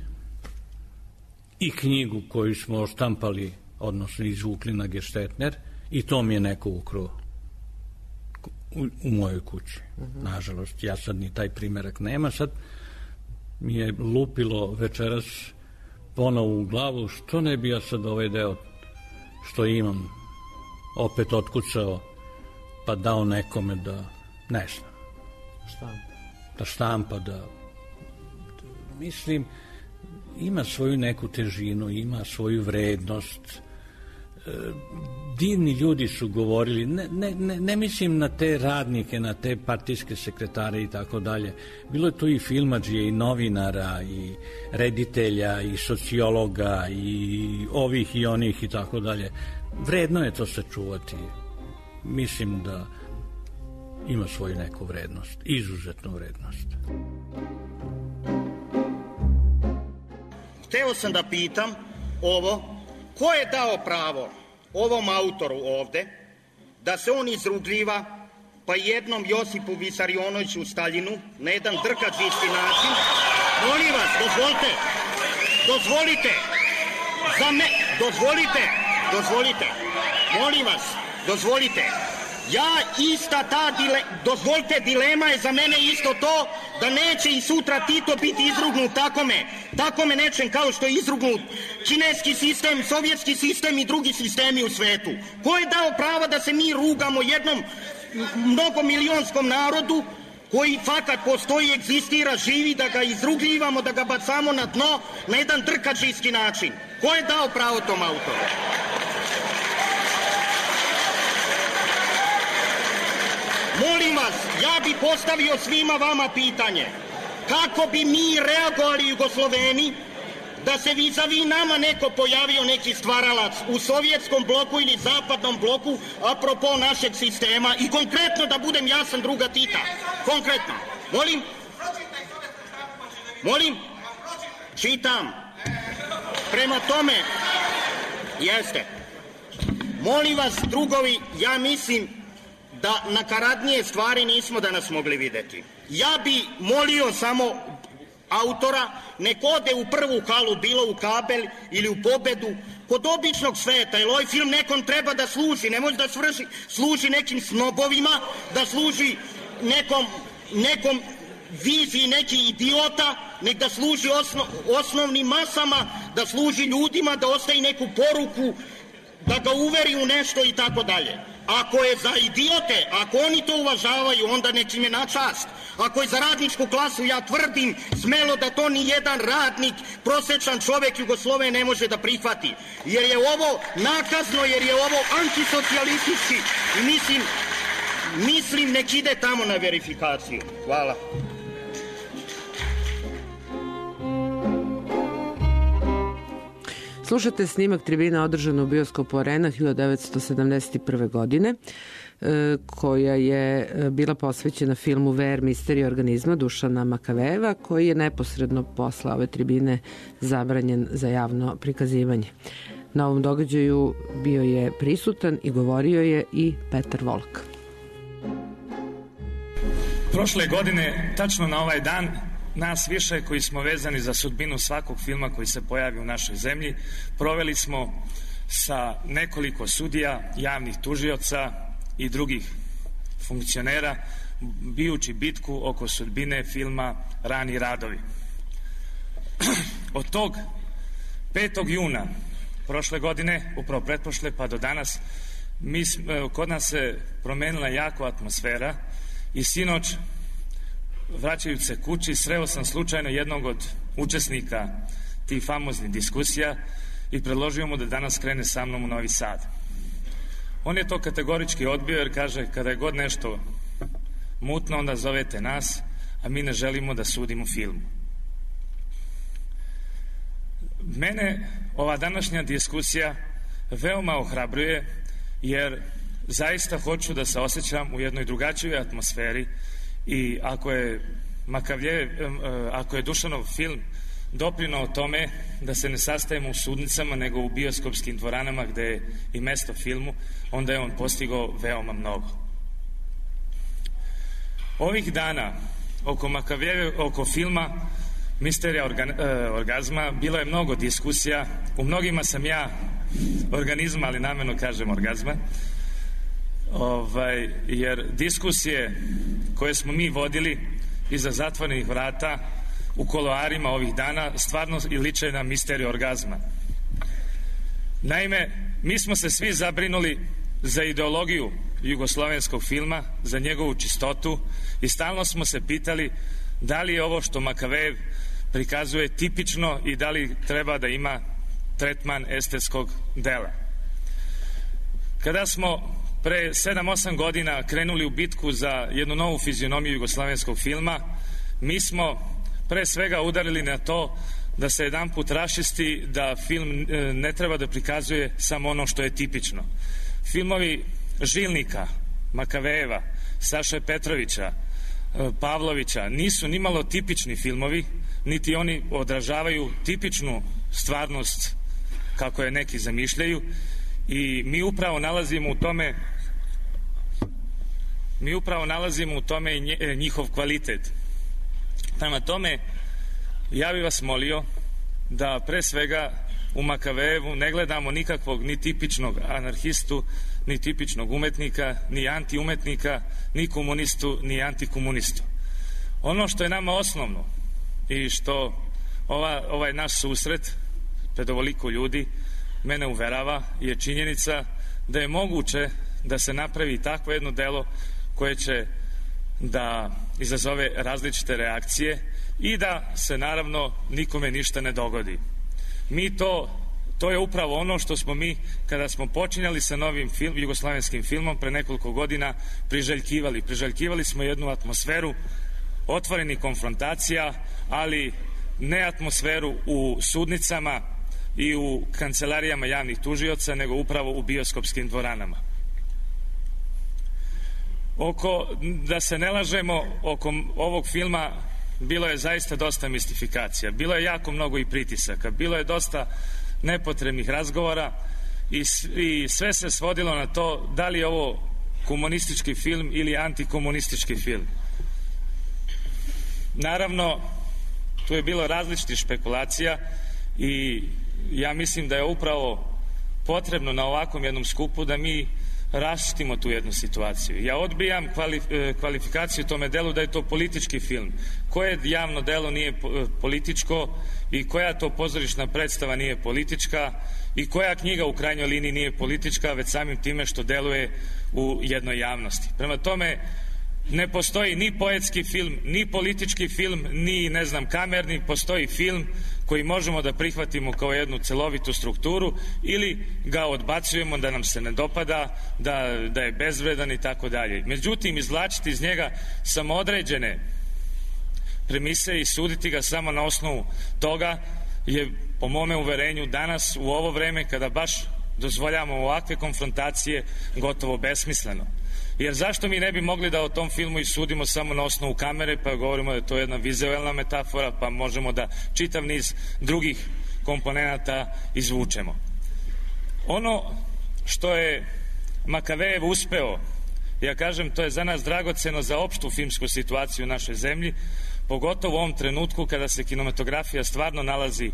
i knjigu koju smo oštampali, odnosno izvukli na Geštetner, I to mi je neko ukrao u mojoj kući. Nažalost, ja sad ni taj primerak nema. Sad mi je lupilo večeras ponovo u glavu, što ne bi ja sad ovaj deo što imam opet otkucao pa dao nekome da, ne znam, da štampa, da mislim, ima svoju neku težinu, ima svoju vrednost. Divni ljudi su govorili, ne mislim na te radnike, na te partijske sekretare i tako dalje. Bilo je tu i filmadžije, i novinara, i reditelja, i sociologa, i ovih i onih i tako dalje. Vredno je to sačuvati. Mislim da ima svoju neku vrednost, izuzetnu vrednost. Hteo sam da pitam ovo, ko je dao pravo ovom autoru ovde da se on izrugljiva pa jednom Josipu Visarionoviću Staljinu na jedan drkađisti način? Molim vas, dozvolite, molim vas, dozvolite. Ja ista ta dilema je za mene isto to da neće i sutra Tito biti izrugnut takome nečem kao što je izrugnut kineski sistem, sovjetski sistem i drugi sistemi u svetu. Ko je dao pravo da se mi rugamo jednom mnogomilionskom narodu koji fakat postoji, egzistira, živi, da ga izrugljivamo, da ga bacamo na dno na jedan drkačijski način? Ko je dao pravo tom autoru? Molim vas, ja bi postavio svima vama pitanje. Kako bi mi reagovali Jugosloveni da se vis-a-vis nama neko pojavio, neki stvaralac u sovjetskom bloku ili zapadnom bloku apropo našeg sistema i konkretno da budem jasan, druga Tita. Konkretno. Molim? Čitam. Prema tome, jeste. Molim vas, drugovi, ja mislim da nakaradnije stvari nismo danas mogli videti. Ja bi molio samo autora, nek ode u prvu halu, bilo u Kabel ili u Pobedu, kod običnog sveta, jer ovaj film nekom treba da služi, ne može da služi nekim snobovima, da služi nekom viziji neki idiota, nek da služi osnovnim masama, da služi ljudima, da ostavi neku poruku, da ga uveri u nešto i tako dalje. Ako je za idiote, ako oni to uvažavaju, onda nek im je na čast. Ako je za radničku klasu, ja tvrdim smelo da to ni jedan radnik, prosečan čovek Jugosloven ne može da prihvati. Jer je ovo nakazno, jer je ovo antisocijalistički i mislim nek ide tamo na verifikaciju. Hvala. Slušate snimak tribina održana u bioskopu Arena 1971. godine, koja je bila posvećena filmu VR Misterija organizma Dušana Makavejeva, koji je neposredno posle ove tribine zabranjen za javno prikazivanje. Na ovom događaju bio je prisutan i govorio je i Petar Volk. Prošle godine, tačno na ovaj dan, nas više koji smo vezani za sudbinu svakog filma koji se pojavi u našoj zemlji, proveli smo sa nekoliko sudija, javnih tužioca i drugih funkcionera, bijući bitku oko sudbine filma Rani radovi. Od tog 5. juna prošle godine, upravo pretprošle pa do danas, kod nas se promenila jako atmosfera i sinoć, vraćajući se kući, sreo sam slučajno jednog od učesnika tih famoznih diskusija i predložio mu da danas krene sa mnom u Novi Sad. On je to kategorički odbio jer kaže, kada je god nešto mutno, onda zovete nas, a mi ne želimo da sudimo filmu. Mene ova današnja diskusija veoma ohrabruje, jer zaista hoću da se osjećam u jednoj drugačijoj atmosferi i ako je Dušanov film doprinao tome da se ne sastajemo u sudnicama nego u bioskopskim dvoranama gde je i mesto filmu, onda je on postigao veoma mnogo. Ovih dana oko filma Misterija orgazma bilo je mnogo diskusija, u mnogima sam ja organizma, ali namerno kažem orgazma, jer diskusije koje smo mi vodili iza zatvorenih vrata u kuloarima ovih dana stvarno liče na misteriju orgazma. Naime, mi smo se svi zabrinuli za ideologiju jugoslovenskog filma, za njegovu čistotu i stalno smo se pitali da li je ovo što Makavejev prikazuje tipično i da li treba da ima tretman estetskog dela. Kada smo pre 7-8 godina krenuli u bitku za jednu novu fizionomiju jugoslovenskog filma, mi smo pre svega udarili na to da se jedanput raščisti da film ne treba da prikazuje samo ono što je tipično. Filmovi Žilnika, Makavejeva, Saše Petrovića, Pavlovića nisu nimalo tipični filmovi, niti oni odražavaju tipičnu stvarnost kako je neki zamišljaju i mi upravo nalazimo u tome i njihov kvalitet. Prema tome, ja bih vas molio da pre svega u Makavejevu ne gledamo nikakvog ni tipičnog anarhistu, ni tipičnog umetnika, ni antiumetnika, ni komunistu, ni antikomunistu. Ono što je nama osnovno i što ovaj naš susret pred ovoliko ljudi mene uverava je činjenica da je moguće da se napravi takvo jedno delo koje će da izazove različite reakcije i da se naravno nikome ništa ne dogodi. To je upravo ono što smo mi, kada smo počinjali sa novim jugoslavenskim filmom pre nekoliko godina, priželjkivali. Priželjkivali smo jednu atmosferu otvorenih konfrontacija, ali ne atmosferu u sudnicama i u kancelarijama javnih tužioca, nego upravo u bioskopskim dvoranama. Da se ne lažemo, oko ovog filma bilo je zaista dosta mistifikacija, bilo je jako mnogo i pritisaka, bilo je dosta nepotrebnih razgovora i sve se svodilo na to da li je ovo komunistički film ili antikomunistički film. Naravno, tu je bilo različitih špekulacija i ja mislim da je upravo potrebno na ovakvom jednom skupu da mi raščistimo tu jednu situaciju. Ja odbijam kvalifikaciju tome delu da je to politički film. Koje javno delo nije političko i koja to pozorišna predstava nije politička i koja knjiga u krajnjoj liniji nije politička, već samim time što deluje u jednoj javnosti. Prema tome, ne postoji ni poetski film, ni politički film, ni kamerni, postoji film koji možemo da prihvatimo kao jednu celovitu strukturu ili ga odbacujemo da nam se ne dopada, da je bezvredan i tako dalje. Međutim, izvlačiti iz njega samo određene premise i suditi ga samo na osnovu toga je, po mome uverenju, danas u ovo vreme kada baš dozvoljavamo ovakve konfrontacije, gotovo besmisleno. Jer zašto mi ne bi mogli da o tom filmu i sudimo samo na osnovu kamere, pa govorimo da je to jedna vizuelna metafora, pa možemo da čitav niz drugih komponenata izvučemo. Ono što je Makavejev uspeo, ja kažem, to je za nas dragoceno za opštu filmsku situaciju u našoj zemlji, pogotovo u ovom trenutku kada se kinematografija stvarno nalazi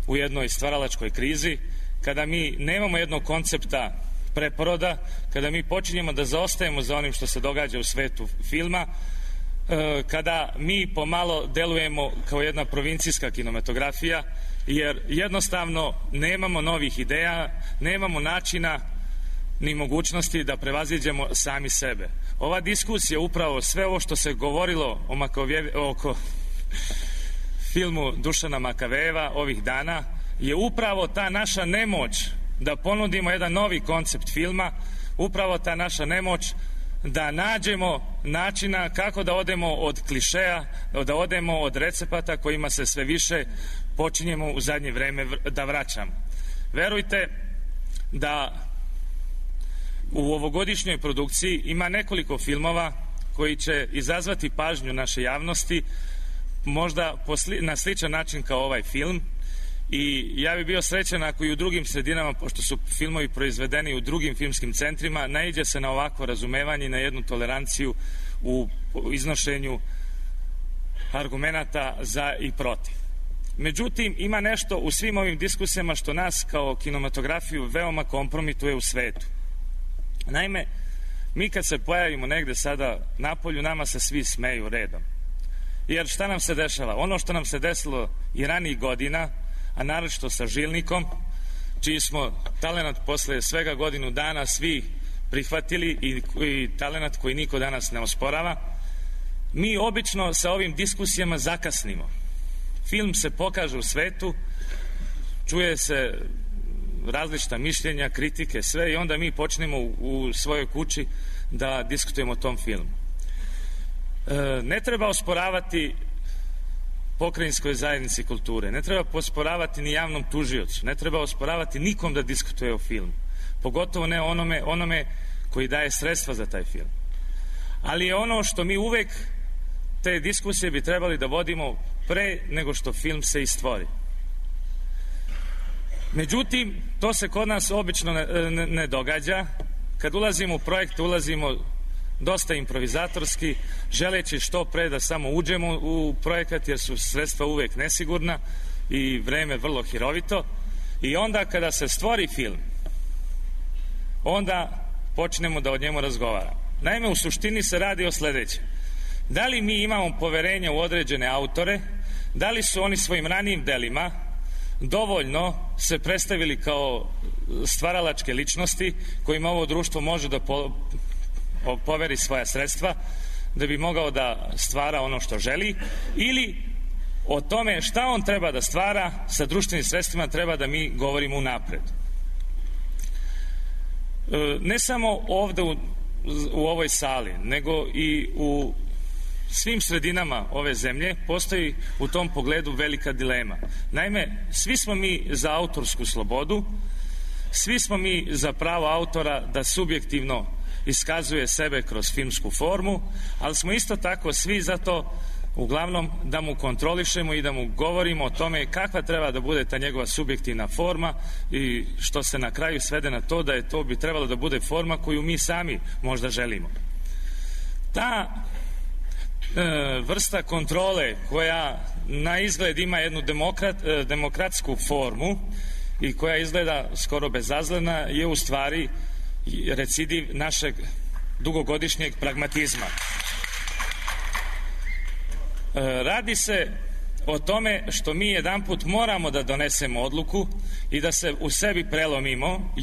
u jednoj stvaralačkoj krizi, kada mi nemamo jednog koncepta preporoda, kada mi počinjemo da zaostajemo za onim što se događa u svetu filma, kada mi pomalo delujemo kao jedna provincijska kinematografija, jer jednostavno nemamo novih ideja, nemamo načina ni mogućnosti da prevaziđemo sami sebe. Ova diskusija, upravo sve ovo što se govorilo oko filmu Dušana Makavejeva ovih dana, je upravo ta naša nemoć da ponudimo jedan novi koncept filma, upravo ta naša nemoć da nađemo načina kako da odemo od klišeja, da odemo od recepata kojima se sve više počinjemo u zadnje vreme da vraćamo. Verujte da u ovogodišnjoj produkciji ima nekoliko filmova koji će izazvati pažnju naše javnosti, možda na sličan način kao ovaj film, i ja bih bio srećan ako i u drugim sredinama, pošto su filmovi proizvedeni u drugim filmskim centrima, naiđe se na ovakvo razumevanje i na jednu toleranciju u iznošenju argumenata za i protiv. Međutim, ima nešto u svim ovim diskusijama što nas kao kinematografiju veoma kompromituje u svetu. Naime, Mi kad se pojavimo negde sada napolju, nama se svi smeju redom. Jer šta nam se dešava? Ono što nam se desilo i ranijih godina, a naročito sa Žilnikom, čiji smo talenat posle svega godinu dana svi prihvatili i talenat koji niko danas ne osporava, mi obično sa ovim diskusijama zakasnimo. Film se pokaže u svetu, čuje se različita mišljenja, kritike, sve, i onda mi počnemo u svojoj kući da diskutujemo o tom filmu. Ne treba osporavati pokrajinskoj zajednici kulture, ne treba osporavati ni javnom tužiocu, ne treba osporavati nikom da diskutuje o filmu, pogotovo ne onome koji daje sredstva za taj film. Ali je ono što mi uvek, te diskusije bi trebali da vodimo pre nego što film se i stvori. Međutim, to se kod nas obično ne događa. Kad ulazimo u projekt, ulazimo dosta improvizatorski, želeći što pre da samo uđemo u projekat, jer su sredstva uvek nesigurna i vreme vrlo hirovito. I onda kada se stvori film, onda počnemo da o njemu razgovaramo. Naime, u suštini se radi o sledećem. Da li mi imamo poverenja u određene autore, da li su oni svojim ranijim delima dovoljno se predstavili kao stvaralačke ličnosti kojima ovo društvo može da poveri svoja sredstva da bi mogao da stvara ono što želi, ili o tome šta on treba da stvara sa društvenim sredstvima treba da mi govorimo unapred. Ne samo ovde u ovoj sali, nego i u svim sredinama ove zemlje postoji u tom pogledu velika dilema. Naime, svi smo mi za autorsku slobodu, svi smo mi za pravo autora da subjektivno iskazuje sebe kroz filmsku formu, ali smo isto tako svi za to uglavnom da mu kontrolišemo i da mu govorimo o tome kakva treba da bude ta njegova subjektivna forma, i što se na kraju svede na to da je to bi trebalo da bude forma koju mi sami možda želimo. Ta vrsta kontrole koja na izgled ima jednu demokratsku formu i koja izgleda skoro bezazlena je u stvari recidiv našeg dugogodišnjeg pragmatizma. Radi se o tome što mi jedanput moramo da donesemo odluku i da se u sebi prelomimo.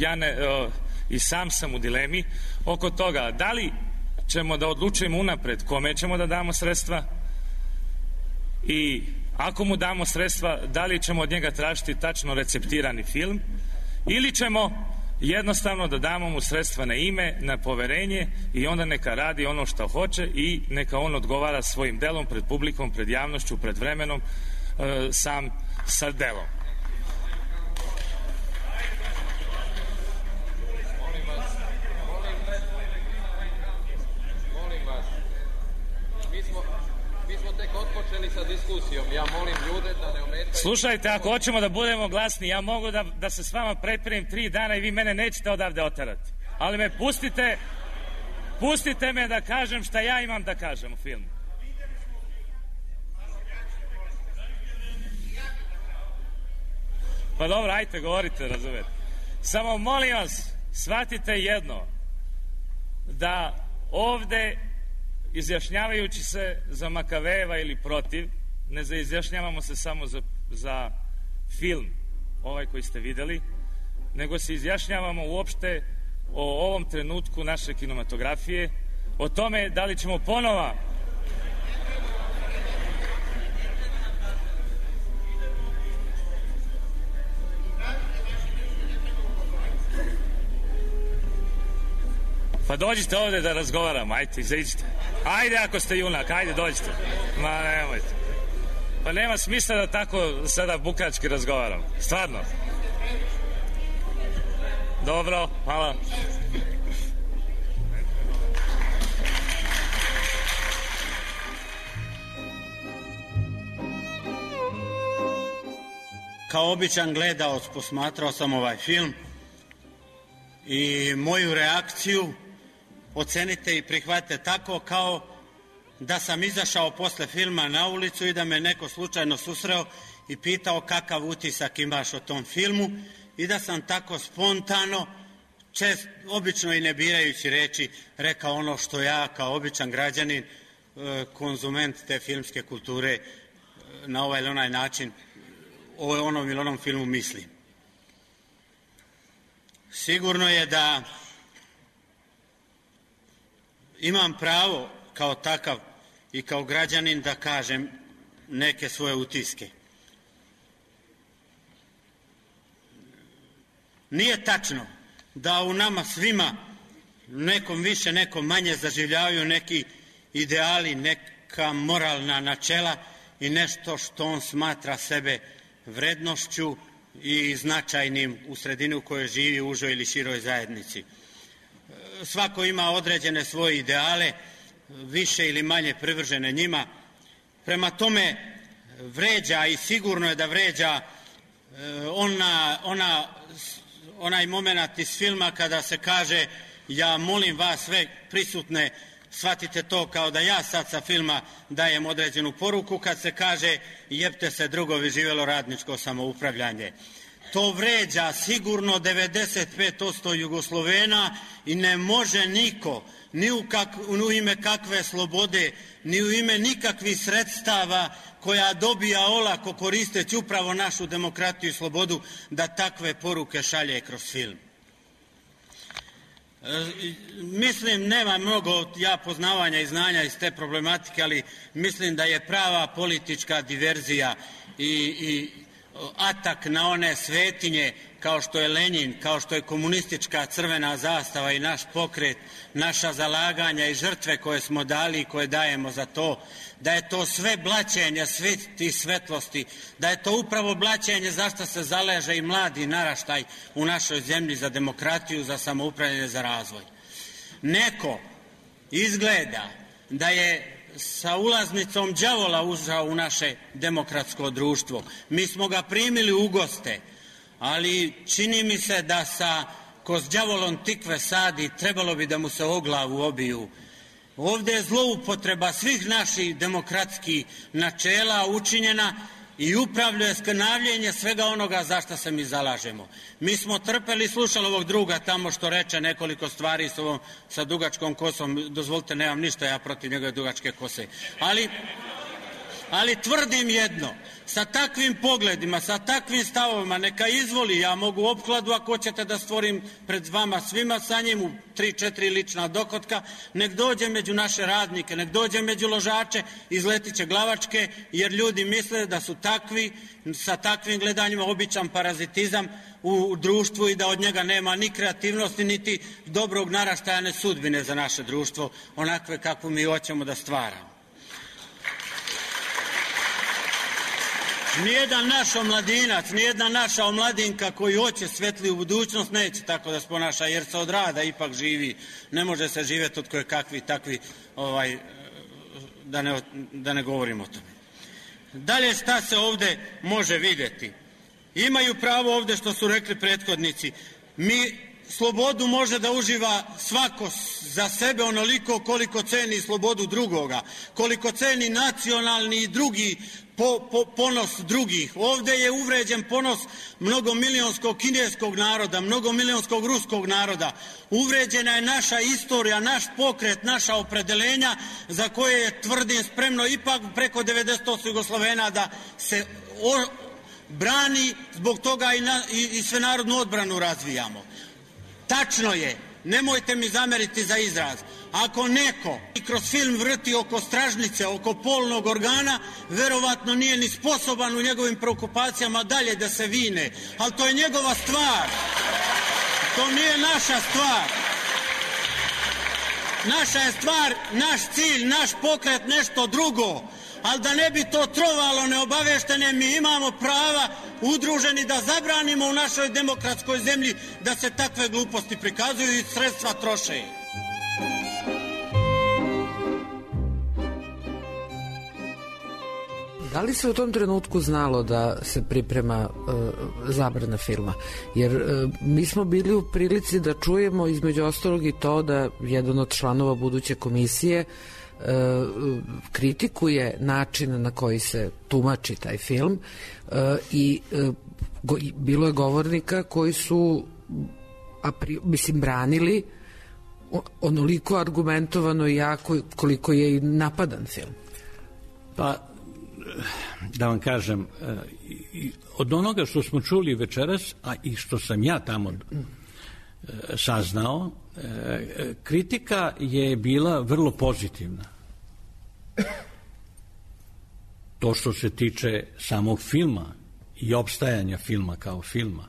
I sam sam u dilemi oko toga da li ćemo da odlučujemo unapred kome ćemo da damo sredstva, i ako mu damo sredstva, da li ćemo od njega tražiti tačno receptirani film, ili ćemo jednostavno da damo mu sredstva na ime, na poverenje, i onda neka radi ono što hoće i neka on odgovara svojim delom pred publikom, pred javnošću, pred vremenom, sam sa delom. Sa diskusijom. Ja molim ljude da ne ometaju. Slušajte, ako hoćemo da budemo glasni, ja mogu da se s vama prepirim 3 dana i vi mene nećete odavde oterati. Ali me pustite me da kažem šta ja imam da kažem u filmu. Pa dobro, ajte, govorite, razumete. Samo molim vas, shvatite jedno, da ovde izjašnjavajući se za Makavejeva ili protiv, ne izjašnjavamo se samo za film, ovaj koji ste videli, nego se izjašnjavamo uopšte o ovom trenutku naše kinematografije, o tome da li ćemo ponova Pa dođite ovde da razgovaramo, ajte, izađite. Ajde ako ste junak, ajde dođite. Ma nemojte. Pa nema smisla da tako sada bukački razgovaramo. Stvarno. Dobro, hvala. Kao običan gledaoc posmatrao sam ovaj film i moju reakciju ocenite i prihvatite tako kao da sam izašao posle filma na ulicu i da me neko slučajno susreo i pitao kakav utisak imaš o tom filmu, i da sam tako spontano obično i ne birajući reči, rekao ono što ja kao običan građanin, konzument te filmske kulture, na ovaj ili onaj način o onom ili onom filmu mislim. Sigurno je da imam pravo kao takav i kao građanin da kažem neke svoje utiske. Nije tačno da u nama svima, nekom više, nekom manje, zaživljavaju neki ideali, neka moralna načela i nešto što on smatra sebe vrednošću i značajnim u sredini u kojoj živi, u užoj ili široj zajednici. Svako ima određene svoje ideale, više ili manje privržene njima. Prema tome vređa, i sigurno je da vređa, onaj moment iz filma kada se kaže, ja molim vas sve prisutne, shvatite to kao da ja sad sa filma dajem određenu poruku, kad se kaže jebte se drugovi, živelo radničko samoupravljanje. To vređa sigurno 95% Jugoslovena i ne može niko, ni u ime kakve slobode, ni u ime nikakvih sredstava koja dobija olako koristeći upravo našu demokratiju i slobodu, da takve poruke šalje kroz film. Mislim, nema mnogo ja poznavanja i znanja iz te problematike, ali mislim da je prava politička diverzija i atak na one svetinje kao što je Lenjin, kao što je komunistička crvena zastava i naš pokret, naša zalaganja i žrtve koje smo dali i koje dajemo za to, da je to sve blaćenje sveti svetlosti, da je to upravo blaćenje za što se zaleže i mladi naraštaj u našoj zemlji, za demokratiju, za samoupravljanje, za razvoj. Neko izgleda da je sa ulaznicom đavola ušao u naše demokratsko društvo. Mi smo ga primili u goste, ali čini mi se da ko s đavolom tikve sadi, trebalo bi da mu se o glavu obiju. Ovde je zloupotreba svih naših demokratskih načela učinjena i upravljuje skrnavljenje svega onoga za što se mi zalažemo. Mi smo trpeli, slušali ovog druga tamo što reče nekoliko stvari sa dugačkom kosom. Dozvolite, nemam ništa ja protiv njegove dugačke kose. Ali tvrdim jedno, sa takvim pogledima, sa takvim stavovima, neka izvoli, ja mogu opkladu ako hoćete da stvorim pred vama svima sa njim u 3-4 lična dohotka, nek dođe među naše radnike, nek dođe među ložače, izletit će glavačke, jer ljudi misle da su takvi, sa takvim gledanjima običan parazitizam u društvu i da od njega nema ni kreativnosti, niti dobrog naraštaja, ne sudbine za naše društvo, onakve kakvu mi hoćemo da stvaramo. Nijedan naš omladinac, nijedna naša omladinka koji hoće svetliju budućnost neće tako da se ponaša, jer se od rada ipak živi. Ne može se živjeti od koje kakvi takvi, da ne govorim o tome. Dalje, šta se ovde može vidjeti? Imaju pravo ovde što su rekli prethodnici. Slobodu može da uživa svako za sebe onoliko koliko ceni slobodu drugoga, koliko ceni nacionalni i drugi ponos drugih. Ovde je uvređen ponos mnogomilionskog kineskog naroda, mnogomilionskog ruskog naroda. Uvređena je naša istorija, naš pokret, naša opredelenja za koje je, tvrdim, spremno ipak preko 90% Jugoslovena da se brani, zbog toga i svenarodnu odbranu razvijamo. Tačno je, nemojte mi zameriti za izraz, ako neko i kroz film vrti oko stražnice, oko polnog organa, verovatno nije ni sposoban u njegovim preokupacijama dalje da se vine, ali to je njegova stvar, to nije naša stvar. Naša je stvar, naš cilj, naš pokret, nešto drugo, ali da ne bi to trovalo neobaveštene, mi imamo prava udruženi da zabranimo u našoj demokratskoj zemlji da se takve gluposti prikazuju i sredstva troše. Da li se u tom trenutku znalo da se priprema zabrana filma? Jer mi smo bili u prilici da čujemo između ostalog i to da jedan od članova buduće komisije kritikuje način na koji se tumači taj film i bilo je govornika koji su branili onoliko argumentovano i jako koliko je i napadan film. Pa, da vam kažem, od onoga što smo čuli večeras, a i što sam ja tamo saznao, kritika je bila vrlo pozitivna. To što se tiče samog filma i opstajanja filma kao filma.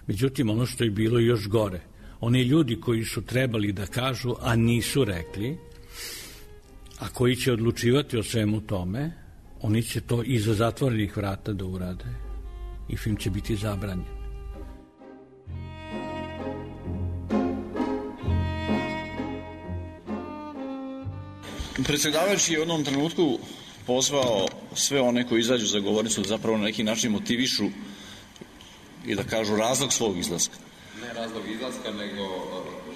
Međutim, ono što je bilo još gore, oni ljudi koji su trebali da kažu, a nisu rekli, a koji će odlučivati o svemu tome, oni će to iza zatvorenih vrata da urade i film će biti zabranjen. Predsjedavajući je u jednom trenutku pozvao sve one koji izađu za govornicu da zapravo na neki način motivišu i da kažu razlog svog izlaska. Ne razlog izlaska, nego...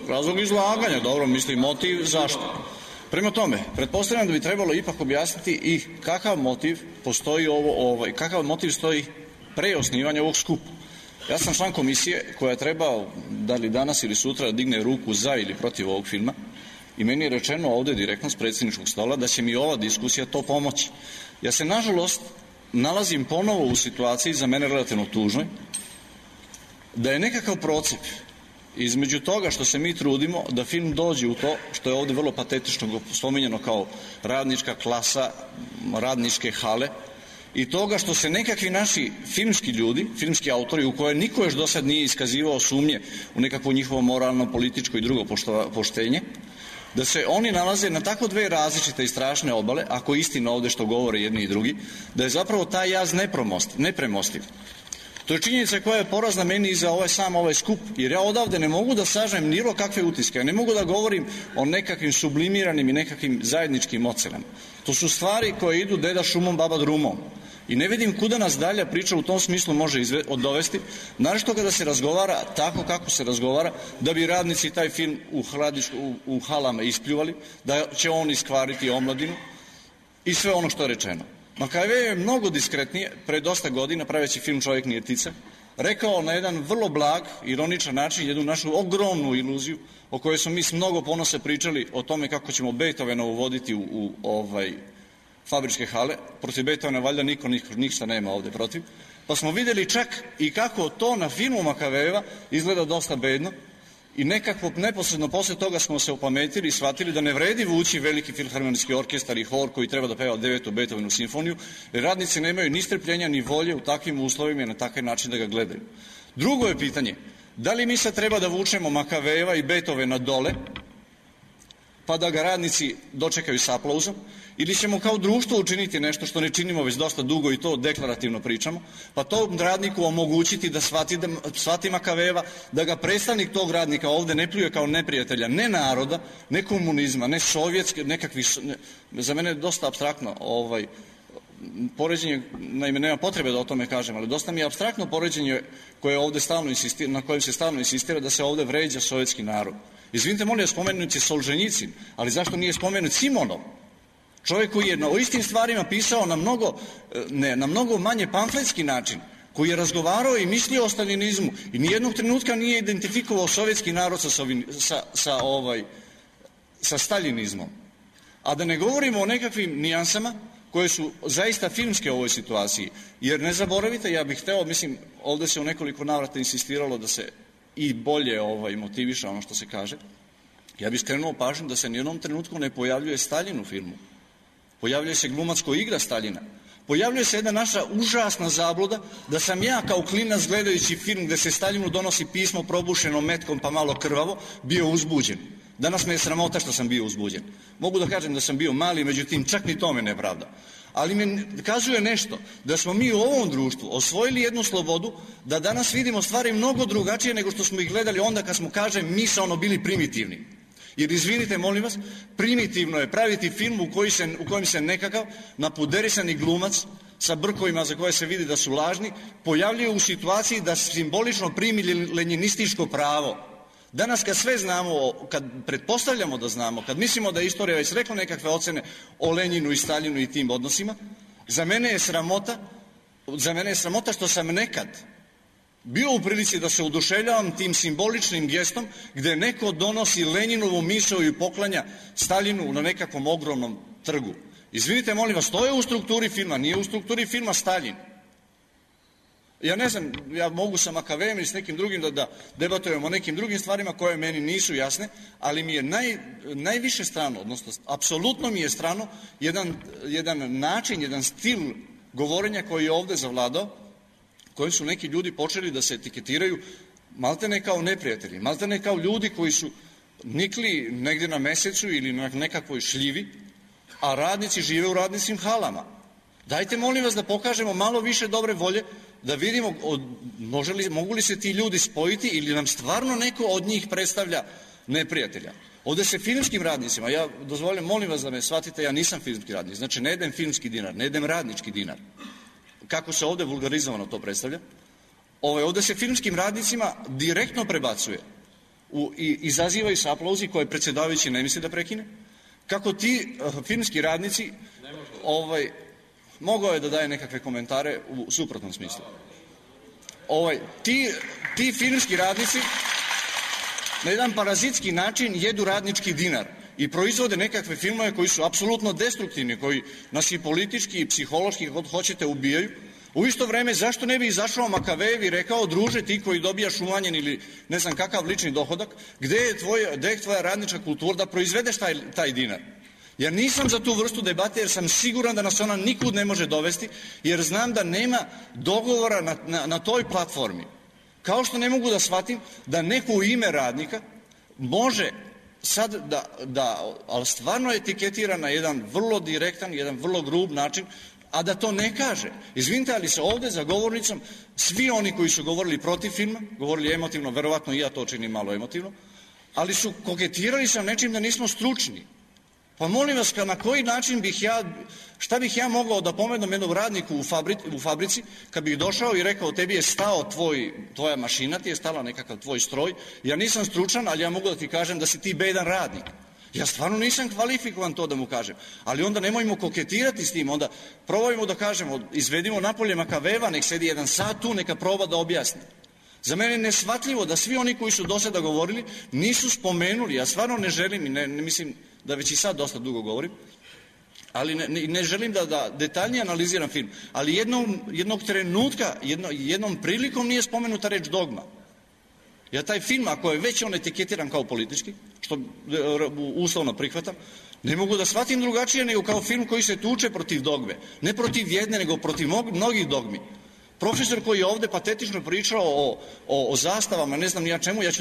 Razlog izlaganja, dobro, mislim motiv zašto. Prema tome, pretpostavljam da bi trebalo ipak objasniti i kakav motiv postoji kakav motiv stoji pre osnivanja ovog skupa. Ja sam član komisije koja je trebao da li danas ili sutra digne ruku za ili protiv ovog filma i meni je rečeno ovde direktno s predsjedničkog stola da će mi ova diskusija to pomoći. Ja se nažalost nalazim ponovo u situaciji za mene relativno tužnoj da je nekakav procep između toga što se mi trudimo da film dođe u to što je ovde vrlo patetično spominjeno kao radnička klasa, radničke hale i toga što se nekakvi naši filmski ljudi, filmski autori u koje niko još do sad nije iskazivao sumnje u nekakvo njihovo moralno, političko i drugo poštenje, da se oni nalaze na tako dve različite i strašne obale, ako je istina ovde što govore jedni i drugi, da je zapravo taj jaz nepremostiv. To je činjenica koja je porazna meni i za ovaj skup, jer ja odavde ne mogu da sažem ni kakve utiske, ja ne mogu da govorim o nekakvim sublimiranim i nekakvim zajedničkim ocenama. To su stvari koje idu deda šumom, baba drumom. I ne vidim kuda nas dalja priča u tom smislu može dovesti, naročito kada se razgovara tako kako se razgovara, da bi radnici taj film u halama ispljuvali, da će on iskvariti omladinu i sve ono što je rečeno. Makave je mnogo diskretnije, pre dosta godina, praveći film Čovjek nije ptica, rekao na jedan vrlo blag, ironičan način, jednu našu ogromnu iluziju, o kojoj smo mi s mnogo ponosa pričali o tome kako ćemo Beethovena uvoditi u fabričke hale. Protiv Beethovena valjda niko ništa nema ovde protiv. Pa smo videli čak i kako to na filmu Makavejeva izgleda dosta bedno i nekako neposredno posle toga smo se opametili i shvatili da ne vredi vući veliki filharmonijski orkestar i hor koji treba da peva 9. Beethovenu simfoniju, jer radnici nemaju ni strpljenja ni volje u takvim uslovima i na takav način da ga gledaju. Drugo je pitanje, da li mi sad treba da vučemo Makavejeva i Beethovena dole, pa da ga radnici dočekaju s aplauzom, ili ćemo kao društvo učiniti nešto što ne činimo već dosta dugo i to deklarativno pričamo, pa tom radniku omogućiti da shvati Makavejeva, da ga predstavnik tog radnika ovde ne pljuje kao neprijatelja, ne naroda, ne komunizma, ne sovjetske, nekakvi, za mene je dosta apstraktno poređenje, naime nema potrebe da o tome kažem, ali dosta mi je apstraktno poređenje na kojem se stalno insistira da se ovde vređa sovjetski narod. Izvinite, molim, spomenut je Solženjicin, ali zašto nije spomenut Simonov? Čovjek koji je o istim stvarima pisao na mnogo manje pamfletski način, koji je razgovarao i mislio o stalinizmu i nijednog trenutka nije identifikovao sovjetski narod sa stalinizmom. A da ne govorimo o nekakvim nijansama koje su zaista filmske u ovoj situaciji. Jer ne zaboravite, ja bih hteo, mislim, ovde se u nekoliko navrata insistiralo da se i bolje motiviše ono što se kaže. Ja bih skrenuo pažnju da se nijednom trenutku ne pojavljuje Staljin u filmu. Pojavljuje se glumac koji igra Staljina. Pojavljuje se jedna naša užasna zabluda da sam ja kao klinac gledajući film gde se Staljinu donosi pismo probušeno metkom pa malo krvavo, bio uzbuđen. Danas me je sramota što sam bio uzbuđen. Mogu da kažem da sam bio mali, međutim čak ni to me ne pravda. Ali me kazuje nešto, da smo mi u ovom društvu osvojili jednu slobodu, da danas vidimo stvari mnogo drugačije nego što smo ih gledali onda kad smo, kažem, misaono bili primitivni. Jer izvinite, molim vas, primitivno je praviti film u kojem se nekakav napuderisani glumac sa brkovima za koje se vidi da su lažni pojavljuje u situaciji da simbolično primi lenjinističko pravo. Danas kad sve znamo, kad pretpostavljamo da znamo, kad mislimo da je istorija već rekla nekakve ocene o Lenjinu i Staljinu i tim odnosima, za mene je sramota što sam nekad bio u prilici da se oduševljavam tim simboličnim gestom gde neko donosi Lenjinovu misao i poklanja Staljinu na nekakvom ogromnom trgu. Izvinite, molim vas, to je u strukturi filma, nije u strukturi filma Staljin. Ja ne znam, ja mogu sa Makavejem ili s nekim drugim da debatujemo o nekim drugim stvarima koje meni nisu jasne, ali mi je najviše strano, odnosno apsolutno mi je strano jedan način, jedan stil govorenja koji je ovde zavladao, koji su neki ljudi počeli da se etiketiraju maltene kao neprijatelji, maltene kao ljudi koji su nikli negde na mesecu ili na nekakvoj šljivi, a radnici žive u radnicim halama. Dajte, molim vas, da pokažemo malo više dobre volje, da vidimo mogu li se ti ljudi spojiti ili nam stvarno neko od njih predstavlja neprijatelja. Ovde se filmskim radnicima, ja dozvoljam, molim vas da me shvatite, ja nisam filmski radnik, znači ne jedem filmski dinar, ne jedem radnički dinar. Kako se ovde vulgarizovano to predstavlja? Ovde se filmskim radnicima direktno prebacuje i izazivaju se aplauzi koje predsjedavajući ne misli da prekine. Kako ti filmski radnici mogao je da daje nekakve komentare u suprotnom smislu. Ti filmski radnici na jedan parazitski način jedu radnički dinar i proizvode nekakve filmove koji su apsolutno destruktivni, koji nas i politički i psihološki, kako hoćete, ubijaju. U isto vreme, zašto ne bi izašao Makavejev i rekao, druže, ti koji dobijaš umanjen ili ne znam kakav lični dohodak, gde je tvoja radnička kultura da proizvedeš taj dinar? Ja nisam za tu vrstu debate jer sam siguran da nas ona nikud ne može dovesti, jer znam da nema dogovora na toj platformi. Kao što ne mogu da shvatim da neko u ime radnika može sad ali stvarno etiketira na jedan vrlo direktan, jedan vrlo grub način, a da to ne kaže. Izvinite, ali se ovde za govornicom svi oni koji su govorili protiv filma, govorili emotivno, verovatno i ja to činim malo emotivno, ali su koketirali sa nečim da nismo stručni. Pa molim vas, na koji način šta bih ja mogao da pomenem jednom radniku u fabrici, kad bih došao i rekao, tebi je stao tvoja mašina, ti je stala nekakav tvoj stroj, ja nisam stručan, ali ja mogu da ti kažem da si ti bedan radnik. Ja stvarno nisam kvalifikovan to da mu kažem, ali onda nemojmo koketirati s tim, onda probajmo da kažemo, izvedimo napolje Makaveva, nek sedi 1 sat tu, neka proba da objasni. Za mene je neshvatljivo da svi oni koji su do sada govorili nisu spomenuli, ja stvarno ne želim i ne mislim da već i sad dosta dugo govorim, ali ne želim da detaljnije analiziram film, ali jednog trenutka, jednom prilikom nije spomenuta reč dogma. Ja taj film, ako je već on etiketiran kao politički, što uslovno prihvatam, ne mogu da shvatim drugačije nego kao film koji se tuče protiv dogme. Ne protiv jedne, nego protiv mnogih dogmi. Profesor koji je ovde patetično pričao o zastavama, ne znam ni ja čemu, ja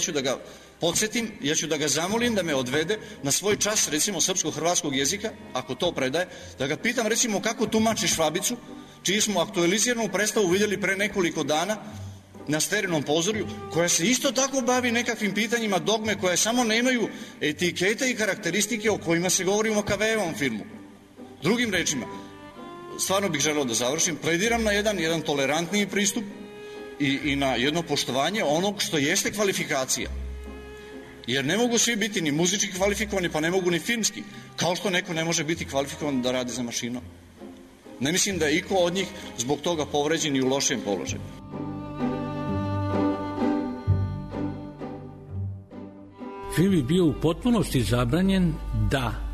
ću da ga podsjetim, ja ću da ga zamolim da me odvede na svoj čas, recimo, srpsko-hrvatskog jezika, ako to predaje, da ga pitam, recimo, kako tumači Švabicu, čiji smo aktualiziranu predstavu vidjeli pre nekoliko dana na Sterinom pozorju, koja se isto tako bavi nekakvim pitanjima dogme, koje samo nemaju etikete i karakteristike o kojima se govori u Makavejevom filmu. Drugim rečima, stvarno bih želeo da završim, plediram na jedan tolerantniji pristup i na jedno poštovanje onog što jeste kvalifikacija. Jer ne mogu svi biti ni muzički kvalifikovani, pa ne mogu ni filmski, kao što neko ne može biti kvalifikovan da radi za mašinom. Ne mislim da je iko od njih zbog toga povređen i u lošem položaju. Film je bio u potpunosti zabranjen da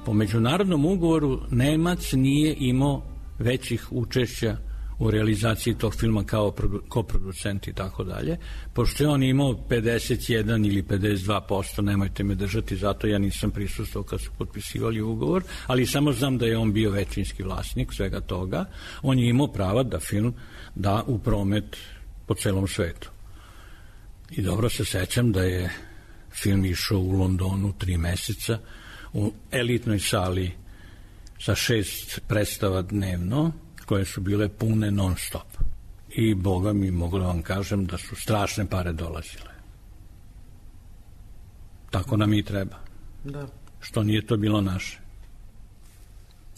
po međunarodnom ugovoru Nemac nije imao većih učešća u realizaciji tog filma kao koproducent i tako dalje, pošto je on imao 51 ili 52%, nemojte me držati, zato ja nisam prisustvovao kad su potpisivali ugovor, ali samo znam da je on bio većinski vlasnik svega toga. On je imao prava da film da u promet po celom svetu. I dobro se sećam da je film išao u Londonu 3 meseca u elitnoj sali sa 6 predstava dnevno, koje su bile pune non stop. I Boga mi, mogu da vam kažem da su strašne pare dolazile. Tako nam i treba. Da. Što nije to bilo naše.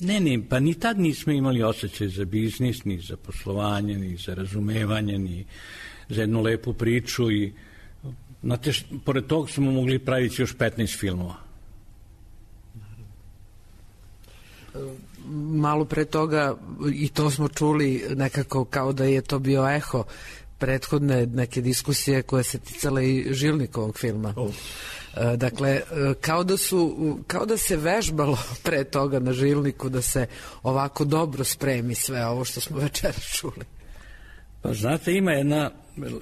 Ne, pa ni tad nismo imali osjećaj za biznis, ni za poslovanje, ni za razumevanje, ni za jednu lepu priču i znate, pored toga smo mogli praviti još 15 filmova. malo pre toga, i to smo čuli nekako kao da je to bio eho prethodne neke diskusije koje se ticale i Žilnikovog filma. Dakle, kao da se vežbalo pre toga na Žilniku da se ovako dobro spremi sve ovo što smo večeras čuli. Pa znate, ima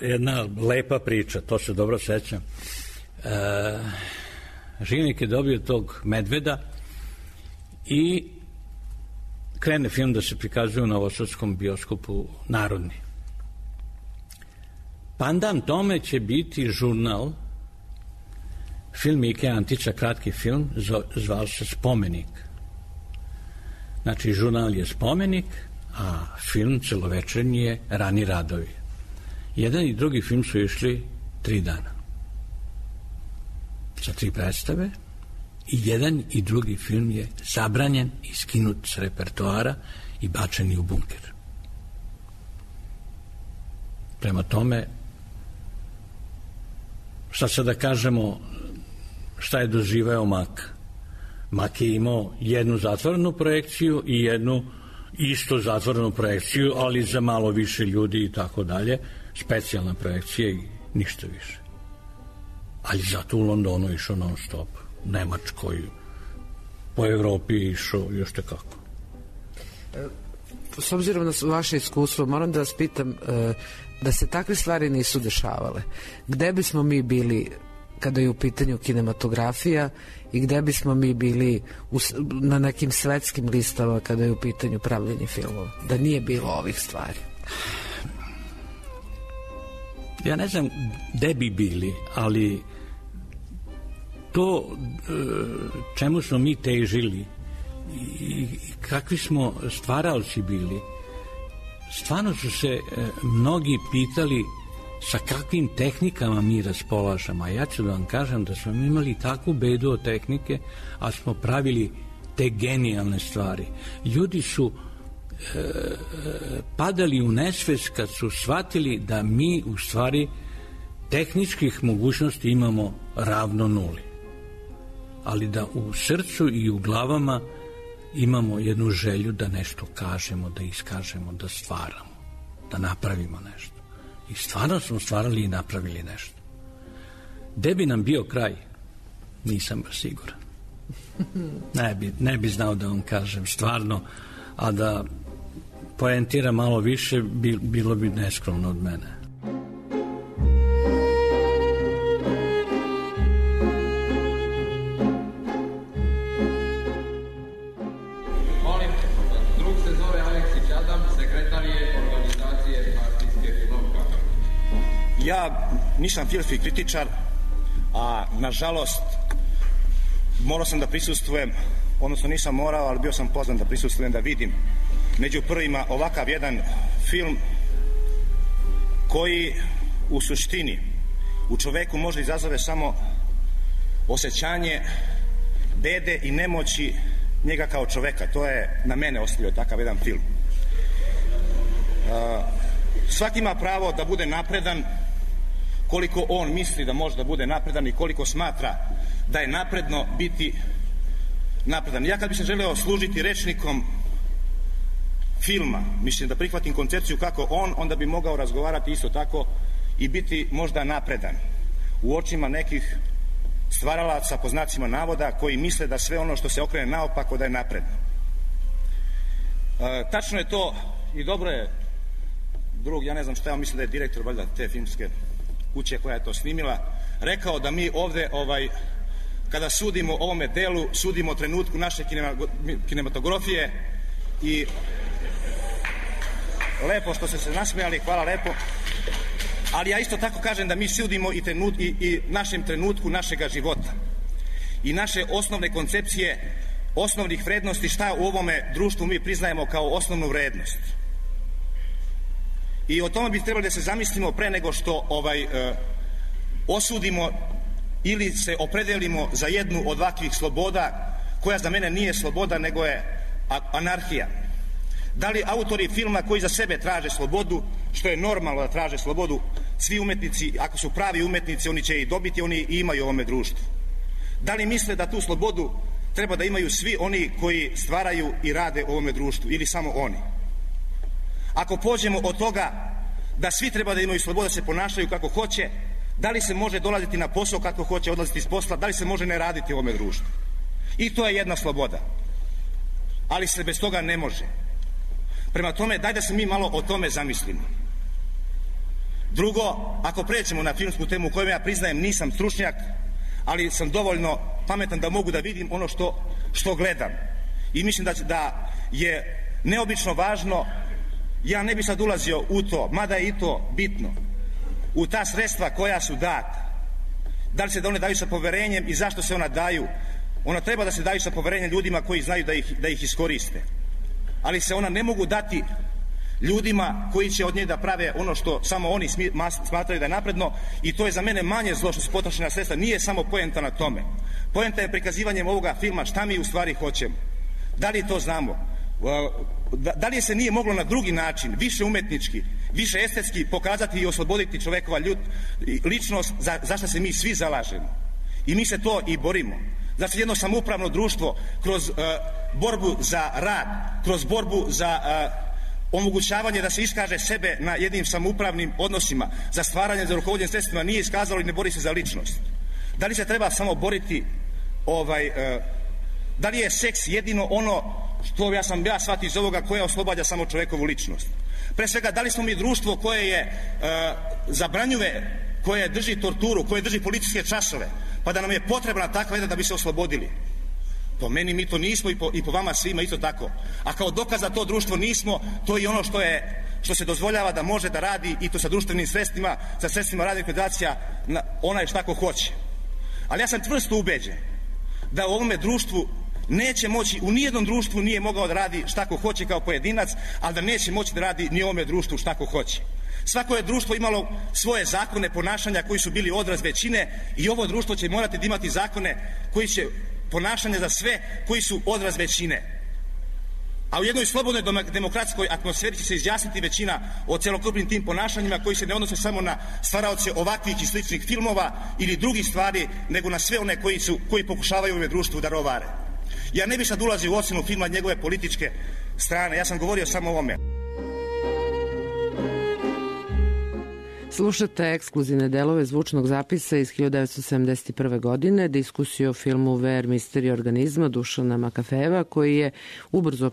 jedna lepa priča, to se dobro sećam. Žilnik je dobio tog medveda i krene film da se prikazuje u Novosadskom bioskopu Narodni. Pandan tome će biti žurnal, film Ike Antića, kratki film, zvao se Spomenik. Znači, žurnal je Spomenik, a film celovečernji je Rani radovi. Jedan i drugi film su išli 3 dana. Sa 3 predstave, i jedan i drugi film je zabranjen i skinut s repertoara i bačen u bunker. Prema tome, šta se da kažemo, šta je doživeo Mak? Mak je imao jednu zatvorenu projekciju i jednu isto zatvorenu projekciju, ali za malo više ljudi i tako dalje, specijalna projekcija i ništa više. Ali zato u Londonu išao non stop, u Nemačkoj, po Evropi išao još tekako. S obzirom na vaše iskustvo, moram da vas pitam, da se takve stvari nisu dešavale, gde bismo mi bili kada je u pitanju kinematografija i gde bismo mi bili na nekim svetskim listama kada je u pitanju pravljenje filmova, da nije bilo ovih stvari? Ja ne znam gde bi bili, ali to čemu smo mi težili i kakvi smo stvaralci bili, stvarno su se mnogi pitali sa kakvim tehnikama mi raspolažemo. A ja ću da vam kažem da smo imali takvu bedu od tehnike, a smo pravili te genijalne stvari. Ljudi su padali u nesvest kad su shvatili da mi u stvari tehničkih mogućnosti imamo ravno nuli. Ali da u srcu i u glavama imamo jednu želju da nešto kažemo, da iskažemo, da stvaramo, da napravimo nešto. I stvarno smo stvarali i napravili nešto. Gde bi nam bio kraj? Nisam baš siguran. Ne bi znao da vam kažem stvarno, a da poentiram malo više, bilo bi neskromno od mene. Molim, drug se zove Aleksić Adam, sekretar je organizacije partijske filmovka. Ja nisam filmski kritičar, a nažalost morao sam da prisustvujem, odnosno nisam morao, ali bio sam pozvan da prisustvujem, da vidim među prvima ovakav jedan film koji u suštini u čoveku može izazove samo osjećanje bede i nemoći njega kao čoveka. To je na mene ostavio takav jedan film. Svaki ima pravo da bude napredan koliko on misli da može da bude napredan i koliko smatra da je napredno biti napredan. Ja kad bi se želeo služiti rečnikom filma, mislim da prihvatim koncepciju kako on, onda bi mogao razgovarati isto tako i biti možda napredan u očima nekih stvaralaca po znacima navoda koji misle da sve ono što se okrene naopako da je napredno. Tačno je to i dobro je drug, ja ne znam šta, ja mislim da je direktor valjda te filmske kuće koja je to snimila, rekao da mi ovde kada sudimo ovome delu, sudimo trenutku naše kinematografije i lepo što ste se nasmejali, hvala lepo, ali ja isto tako kažem da mi sudimo i našem trenutku našega života i naše osnovne koncepcije, osnovnih vrednosti, šta u ovome društvu mi priznajemo kao osnovnu vrednost. I o tome bi trebali da se zamislimo pre nego što osudimo ili se opredelimo za jednu od ovakvih sloboda koja za mene nije sloboda nego je anarhija. Da li autori filma koji za sebe traže slobodu, što je normalno da traže slobodu, svi umetnici, ako su pravi umetnici, oni će i dobiti, oni i imaju u ovome društvu. Da li misle da tu slobodu treba da imaju svi oni koji stvaraju i rade u ovome društvu, ili samo oni. Ako pođemo od toga da svi treba da imaju slobodu da se ponašaju kako hoće, da li se može dolaziti na posao kako hoće, odlaziti iz posla, da li se može ne raditi u ovome društvu? I to je jedna sloboda. Ali se bez toga ne može. Prema tome, daj da se mi malo o tome zamislimo. Drugo, ako pređemo na filmsku temu u kojoj ja priznajem nisam stručnjak, ali sam dovoljno pametan da mogu da vidim ono što gledam. I mislim da je neobično važno, ja ne bi sad ulazio u to, mada je i to bitno, u ta sredstva koja su data. Da li se da one daju sa poverenjem i zašto se ona daju? Ona treba da se daju sa poverenjem ljudima koji znaju da ih iskoriste. Ali se ona ne mogu dati ljudima koji će od nje da prave ono što samo oni smatraju da je napredno, i to je za mene manje zlo što su potrošena sredstva. Nije samo poenta na tome. Poenta je prikazivanjem ovoga filma šta mi u stvari hoćemo. Da li to znamo? Da li se nije moglo na drugi način, više umetnički, više estetski pokazati i osloboditi čovekova ličnost za što se mi svi zalažemo? I mi se to i borimo. Znači jedno samoupravno društvo kroz borbu za rad, kroz borbu za omogućavanje da se iskaže sebe na jednim samoupravnim odnosima, za stvaranje, za rukovodjenje sredstvima, nije iskazalo i ne bori se za ličnost. Da li se treba samo boriti, da li je seks jedino ono što ja shvatio iz ovoga koje oslobađa samo čovekovu ličnost? Pre svega, da li smo mi društvo koje je zabranjuje, koje drži torturu, koje drži policijske časove, pa da nam je potrebna takva jedna da bi se oslobodili? Po meni mi to nismo i po vama svima isto tako. A kao dokaz da to društvo nismo, to je ono što se dozvoljava da može da radi, i to sa društvenim sredstvima, sa sredstvima radnih organizacija, onaj šta ko hoće. Ali ja sam čvrsto ubeđen da u ovome društvu neće moći, u nijednom društvu nije mogao da radi šta ko hoće kao pojedinac, ali da neće moći da radi ni u ovome društvu šta ko hoće. Svako je društvo imalo svoje zakone ponašanja koji su bili odraz većine, i ovo društvo će morati da imati zakone koji će ponašanje za sve koji su odraz većine. A u jednoj slobodnoj demokratskoj atmosferi će se izjasniti većina o celokupnim tim ponašanjima koji se ne odnose samo na stvaraoce ovakvih i sličnih filmova ili drugih stvari, nego na sve one koji pokušavaju u ovom društvu da rovare. Ja ne bih sad ulazio u ocenu filma njegove političke strane, ja sam govorio samo o ovome. Slušate ekskluzivne delove zvučnog zapisa iz 1971. godine, diskusiju o filmu Ver misterij organizma Dušana Makafeva, koji je ubrzo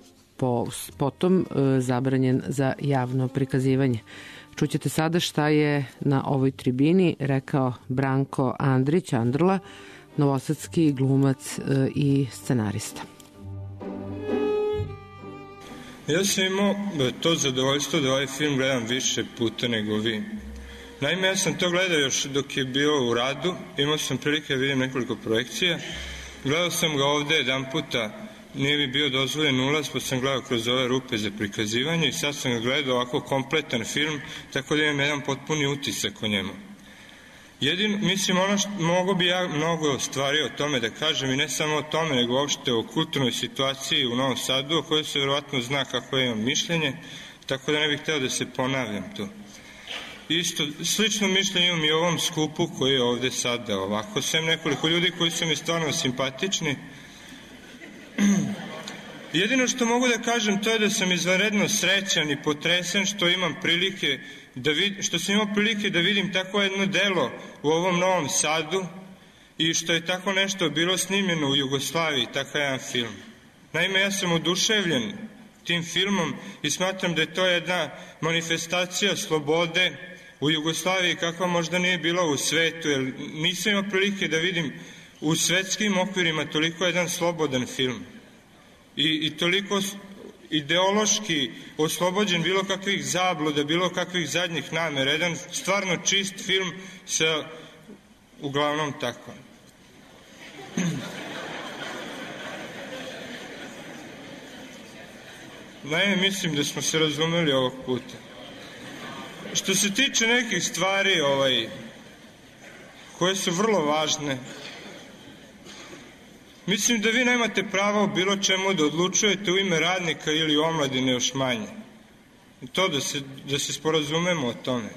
potom zabranjen za javno prikazivanje. Čućete sada šta je na ovoj tribini rekao Branko Andrić, Andrla, novosadski glumac i scenarista. Ja sam imao to zadovoljstvo da ovaj film gledam više puta nego vi. Naime, ja sam to gledao još dok je bio u radu, imao sam prilike da vidim nekoliko projekcija. Gledao sam ga ovde jedan puta, nije mi bio dozvoljen ulaz, pa sam gledao kroz ove rupe za prikazivanje, i sad sam ga gledao ovako kompletan film, tako da imam jedan potpuni utisak o njemu. Mislim, mogo bi ja mnogo stvari o tome da kažem, i ne samo o tome, nego uopšte o kulturnoj situaciji u Novom Sadu, o kojoj se verovatno zna kako imam mišljenje, tako da ne bih hteo da se ponavljam tu. Isto, slično mišljenje imam i o ovom skupu koji je ovde sada ovako, sem nekoliko ljudi koji su mi stvarno simpatični. Jedino što mogu da kažem to je da sam izvanredno srećan i potresen što imam prilike što sam imao prilike da vidim tako jedno delo u ovom Novom Sadu, i što je tako nešto bilo snimljeno u Jugoslaviji, takav jedan film. Naime, ja sam oduševljen tim filmom i smatram da je to jedna manifestacija slobode u Jugoslaviji kakva možda nije bila u svetu, jer nisam imao prilike da vidim u svetskim okvirima toliko jedan slobodan film i toliko ideološki oslobođen bilo kakvih zabluda, bilo kakvih zadnjih namera, jedan stvarno čist film sa uglavnom tako. Naime, mislim da smo se razumeli ovog puta. Što se tiče nekih stvari koje su vrlo važne, mislim da vi nemate pravo o bilo čemu da odlučujete u ime radnika ili omladine još manje. To da se sporazumemo o tome.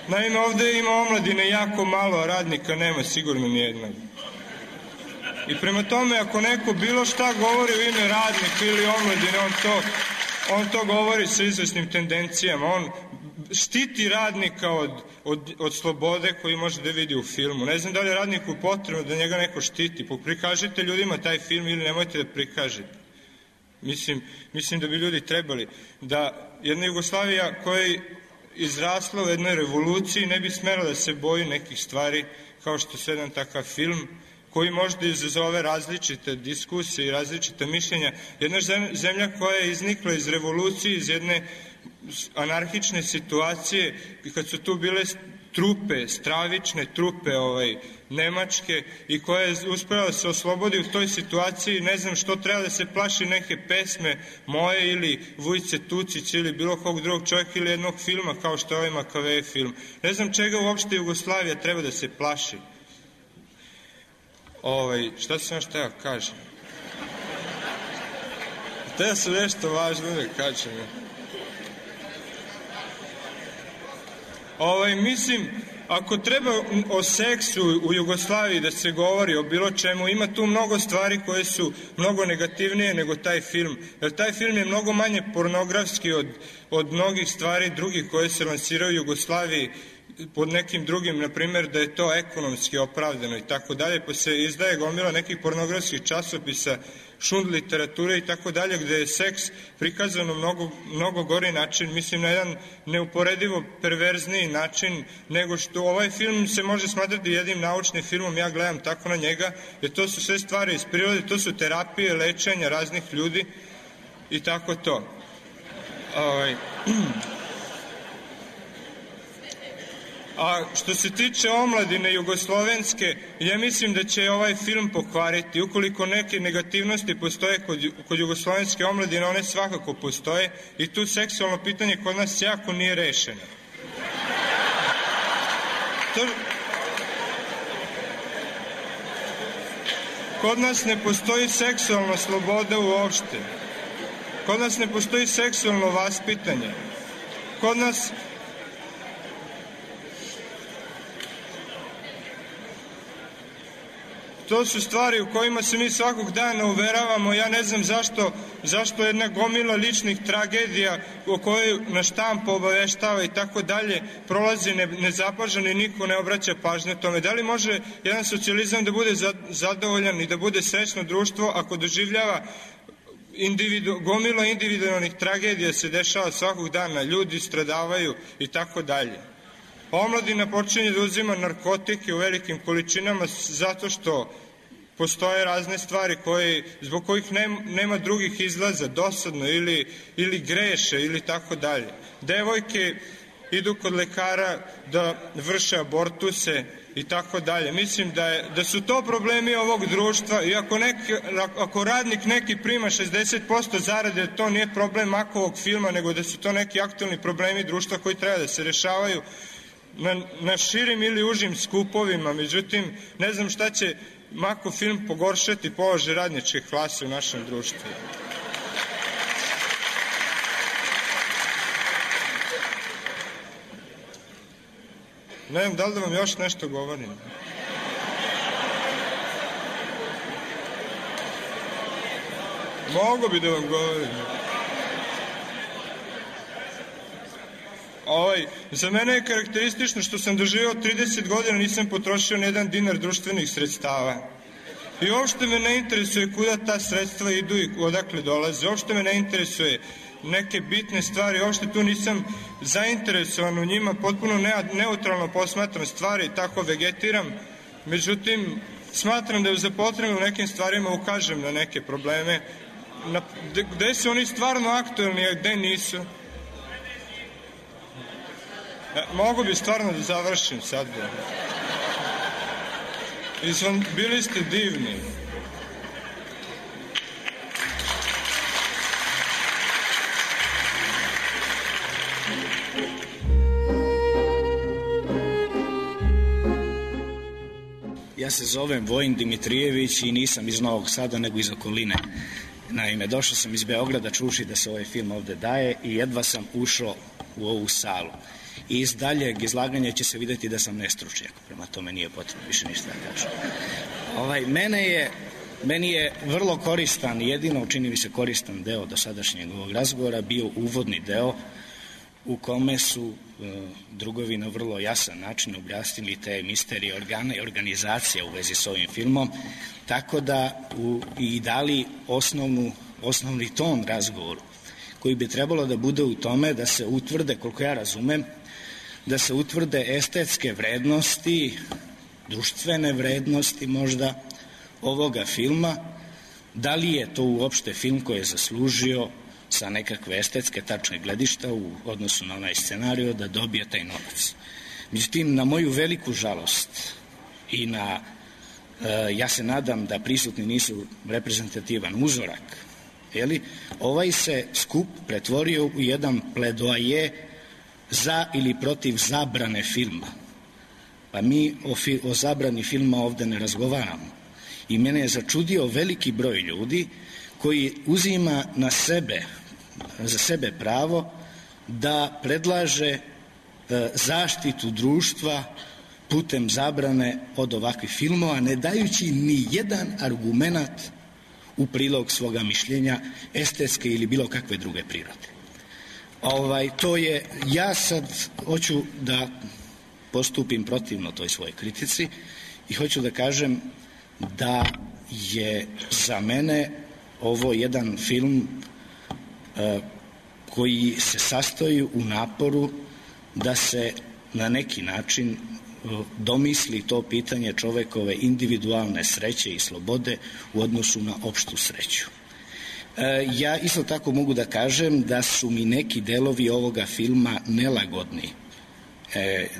Naime, ovde ima omladine jako malo, a radnika nema sigurno nijednog. I prema tome, ako neko bilo šta govori u ime radnika ili omladine, on to govori sa izvesnim tendencijama. On štiti radnika od slobode koju može da vidi u filmu. Ne znam da li je radniku potrebno da njega neko štiti. Prikažite ljudima taj film ili nemojte da prikažete. Mislim da bi ljudi trebali da jedna Jugoslavija koja je izrasla u jednoj revoluciji ne bi smela da se boji nekih stvari kao što je jedan takav film koji možda izazove različite diskusije i različite mišljenja. Jedna zemlja koja je iznikla iz revolucije, iz jedne anarhične situacije i kad su tu bile trupe, stravične trupe nemačke i koja je uspela da se oslobodi u toj situaciji, ne znam što treba da se plaši neke pesme moje ili Vujice Tucić ili bilo kog drugog čovjeka ili jednog filma kao što je ovaj Makavej film. Ne znam čega uopšte Jugoslavija treba da se plaši. Šta sam još teo kažem? Teo sam nešto važno da kažem. Mislim, ako treba o seksu u Jugoslaviji da se govori o bilo čemu, ima tu mnogo stvari koje su mnogo negativnije nego taj film. Jer taj film je mnogo manje pornografski od mnogih stvari drugih koje se lansiraju u Jugoslaviji pod nekim drugim, na primjer da je to ekonomski opravdano i tako dalje, pa se izdaje gomila nekih pornografskih časopisa, šund literature i tako dalje, gde je seks prikazano mnogo gori način, mislim na jedan neuporedivo perverzniji način nego što ovaj film se može smatrati jednim naučnim filmom, ja gledam tako na njega, jer to su sve stvari iz prirode, to su terapije, lečenja raznih ljudi i tako to. A što se tiče omladine jugoslovenske, ja mislim da će ovaj film pokvariti. Ukoliko neke negativnosti postoje kod jugoslovenske omladine, one svakako postoje i tu seksualno pitanje kod nas jako nije rešeno. Kod nas ne postoji seksualna sloboda uopšte. Kod nas ne postoji seksualno vaspitanje. Kod nas to su stvari u kojima se mi svakog dana uveravamo. Ja ne znam zašto jedna gomila ličnih tragedija o kojoj na štampu obaveštava i tako dalje prolazi nezapaženo i niko ne obraća pažnje tome. Da li može jedan socijalizam da bude zadovoljan i da bude srećno društvo ako doživljava gomila individualnih tragedija se dešava svakog dana, ljudi stradavaju i tako dalje. Omladina počinje da uzima narkotike u velikim količinama zato što postoje razne stvari zbog kojih nema drugih izlaza, dosadno ili greše ili tako dalje. Devojke idu kod lekara da vrše abortuse i tako dalje. Mislim da su to problemi ovog društva i ako radnik neki prima 60% zarade, to nije problem Makovog filma, nego da su to neki aktualni problemi društva koji treba da se rešavaju na širim ili užim skupovima. Međutim, ne znam šta će Makov film pogoršati položaj radničke klase u našem društvu. Ne znam, da li da vam još nešto govorim? Mogu bi da vam govorim. Za mene je karakteristično što sam doživao 30 godina, nisam potrošio ni jedan dinar društvenih sredstava. I uopšte me ne interesuje kuda ta sredstva idu i odakle dolaze. Uopšte me ne interesuje neke bitne stvari, uopšte tu nisam zainteresovan u njima, potpuno neutralno posmatram stvari, tako vegetiram. Međutim, smatram da je za potrebno u nekim stvarima ukažem na neke probleme, gde su oni stvarno aktuelni, a gde nisu. Mogu bi stvarno da završim sad. Bili ste divni. Ja se zovem Vojin Dimitrijević i nisam iz Novog Sada, nego iz okoline. Naime, došao sam iz Beograda čuši da se ovaj film ovde daje i jedva sam ušao u ovu salu. I iz daljeg izlaganja će se videti da sam nestručnjak, prema tome nije potrebno više ništa da kažem. Mene je Meni je vrlo koristan, jedino čini mi se koristan deo dosadašnjeg ovog razgovora bio uvodni deo u kome su drugovi na vrlo jasan način objasnili te misterije organa i organizacije u vezi s ovim filmom, tako da i dali osnovni ton razgovoru, koji bi trebalo da bude u tome da se utvrde, koliko ja razumem, da se utvrde estetske vrednosti, društvene vrednosti možda ovoga filma, da li je to uopšte film koji je zaslužio sa nekakve estetske tačne gledišta u odnosu na onaj scenariju da dobije taj novac. Međutim, na moju veliku žalost i ja se nadam da prisutni nisu reprezentativan uzorak, ovaj se skup pretvorio u jedan pledoaje za ili protiv zabrane filma. Pa mi o zabrani filma ovde ne razgovaramo. I mene je začudio veliki broj ljudi koji uzima za sebe pravo da predlaže zaštitu društva putem zabrane od ovakvih filmova, ne dajući ni jedan argument u prilog svoga mišljenja, estetske ili bilo kakve druge prirode. Ja sad hoću da postupim protivno toj svojoj kritici i hoću da kažem da je za mene ovo jedan film koji se sastoji u naporu da se na neki način domisli to pitanje čovekove individualne sreće i slobode u odnosu na opštu sreću. Ja isto tako mogu da kažem da su mi neki delovi ovoga filma nelagodni,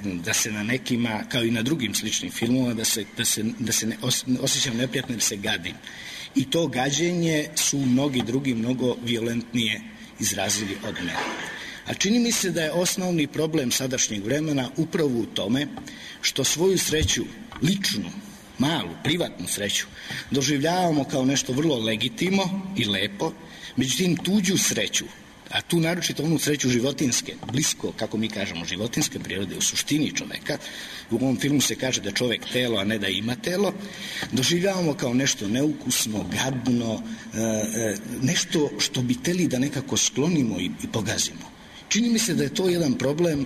da se na nekima, kao i na drugim sličnim filmova, da se osjećam neprijatno jer se gadim. I to gađenje su mnogi drugi mnogo violentnije izrazili od mene. A čini mi se da je osnovni problem sadašnjeg vremena upravo u tome što svoju sreću, ličnu, malu, privatnu sreću, doživljavamo kao nešto vrlo legitimno i lepo, međutim tuđu sreću, a tu naročito onu sreću životinske, blisko, kako mi kažemo, životinske prirode, u suštini čoveka, u ovom filmu se kaže da čovek telo, a ne da ima telo, doživljavamo kao nešto neukusno, gadno, nešto što bi teli da nekako sklonimo i pogazimo. Čini mi se da je to jedan problem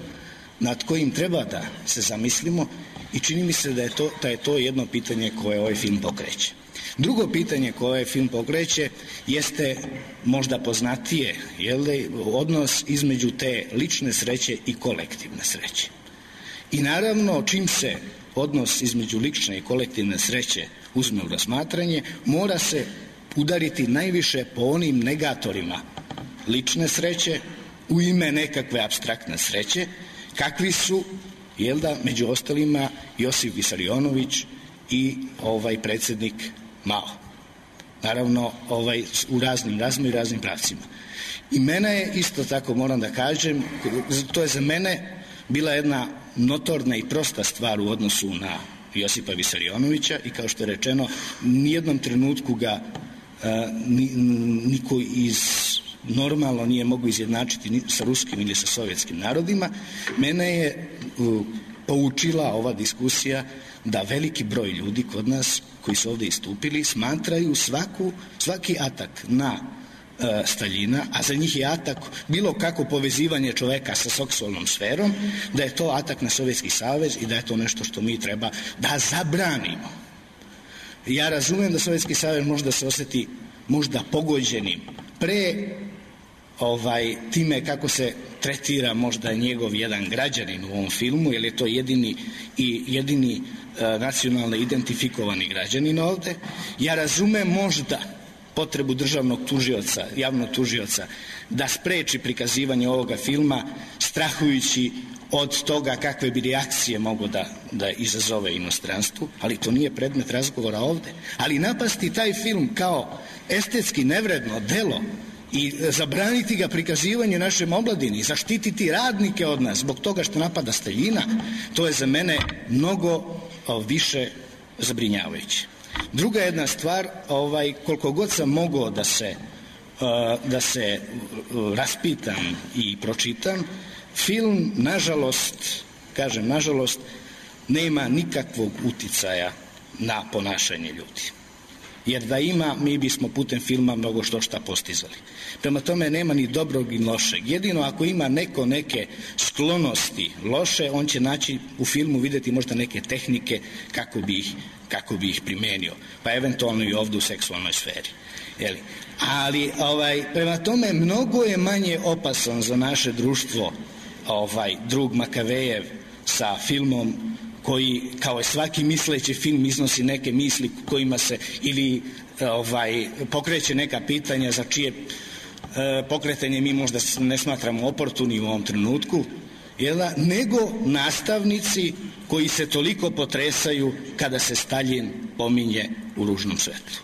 nad kojim treba da se zamislimo i čini mi se da je to jedno pitanje koje ovaj film pokreće. Drugo pitanje koje ovaj film pokreće jeste možda poznatije, odnos između te lične sreće i kolektivne sreće. I naravno, čim se odnos između lične i kolektivne sreće uzme u razmatranje, mora se udariti najviše po onim negatorima lične sreće u ime nekakve apstraktne sreće, kakvi su, među ostalima Josif Visarionović i predsjednik Mao. Naravno, u raznim pravcima. I mene je, isto tako moram da kažem, to je za mene bila jedna notorna i prosta stvar u odnosu na Josipa Visarionovića i kao što je rečeno, nijednom trenutku ga niko normalno nije mogu izjednačiti ni sa ruskim ili sa sovjetskim narodima. Mene je poučila ova diskusija da veliki broj ljudi kod nas koji su ovde istupili smatraju svaki atak na Staljina, a za njih je atak bilo kako povezivanje čoveka sa seksualnom sferom, da je to atak na Sovjetski savez i da je to nešto što mi treba da zabranimo. Ja razumem da Sovjetski savez možda se oseti možda pogođenim pre time kako se tretira možda njegov jedan građanin u ovom filmu, jer je to jedini nacionalno identifikovani građanin ovde. Ja razumem možda potrebu državnog tužioca, javnog tužioca, da spreči prikazivanje ovoga filma, strahujući od toga kakve bi reakcije mogo da izazove inostranstvu, ali to nije predmet razgovora ovde. Ali napasti taj film kao estetski nevredno delo i zabraniti ga prikazivanje našem omladini, zaštititi radnike od nas zbog toga što napada Staljina, to je za mene mnogo više zabrinjavajuće. Druga jedna stvar, koliko god sam mogao da se raspitam i pročitam, film, nažalost, nema nikakvog uticaja na ponašanje ljudi. jer da ima mi bismo putem filma mnogo šta postizali. Prema tome nema ni dobrog ni lošeg. Jedino ako ima neko neke sklonosti loše, on će naći u filmu, vidjeti možda neke tehnike kako bi ih primenio, pa eventualno i ovdje u seksualnoj sferi. Jeli? Ali prema tome mnogo je manje opasan za naše društvo drug Makavejev sa filmom koji kao svaki misleći film iznosi neke misli kojima se ili pokreće neka pitanja za čije pokretanje mi možda ne smatramo oportunim u ovom trenutku, nego nastavnici koji se toliko potresaju kada se Staljin pominje u ružnom svetlu.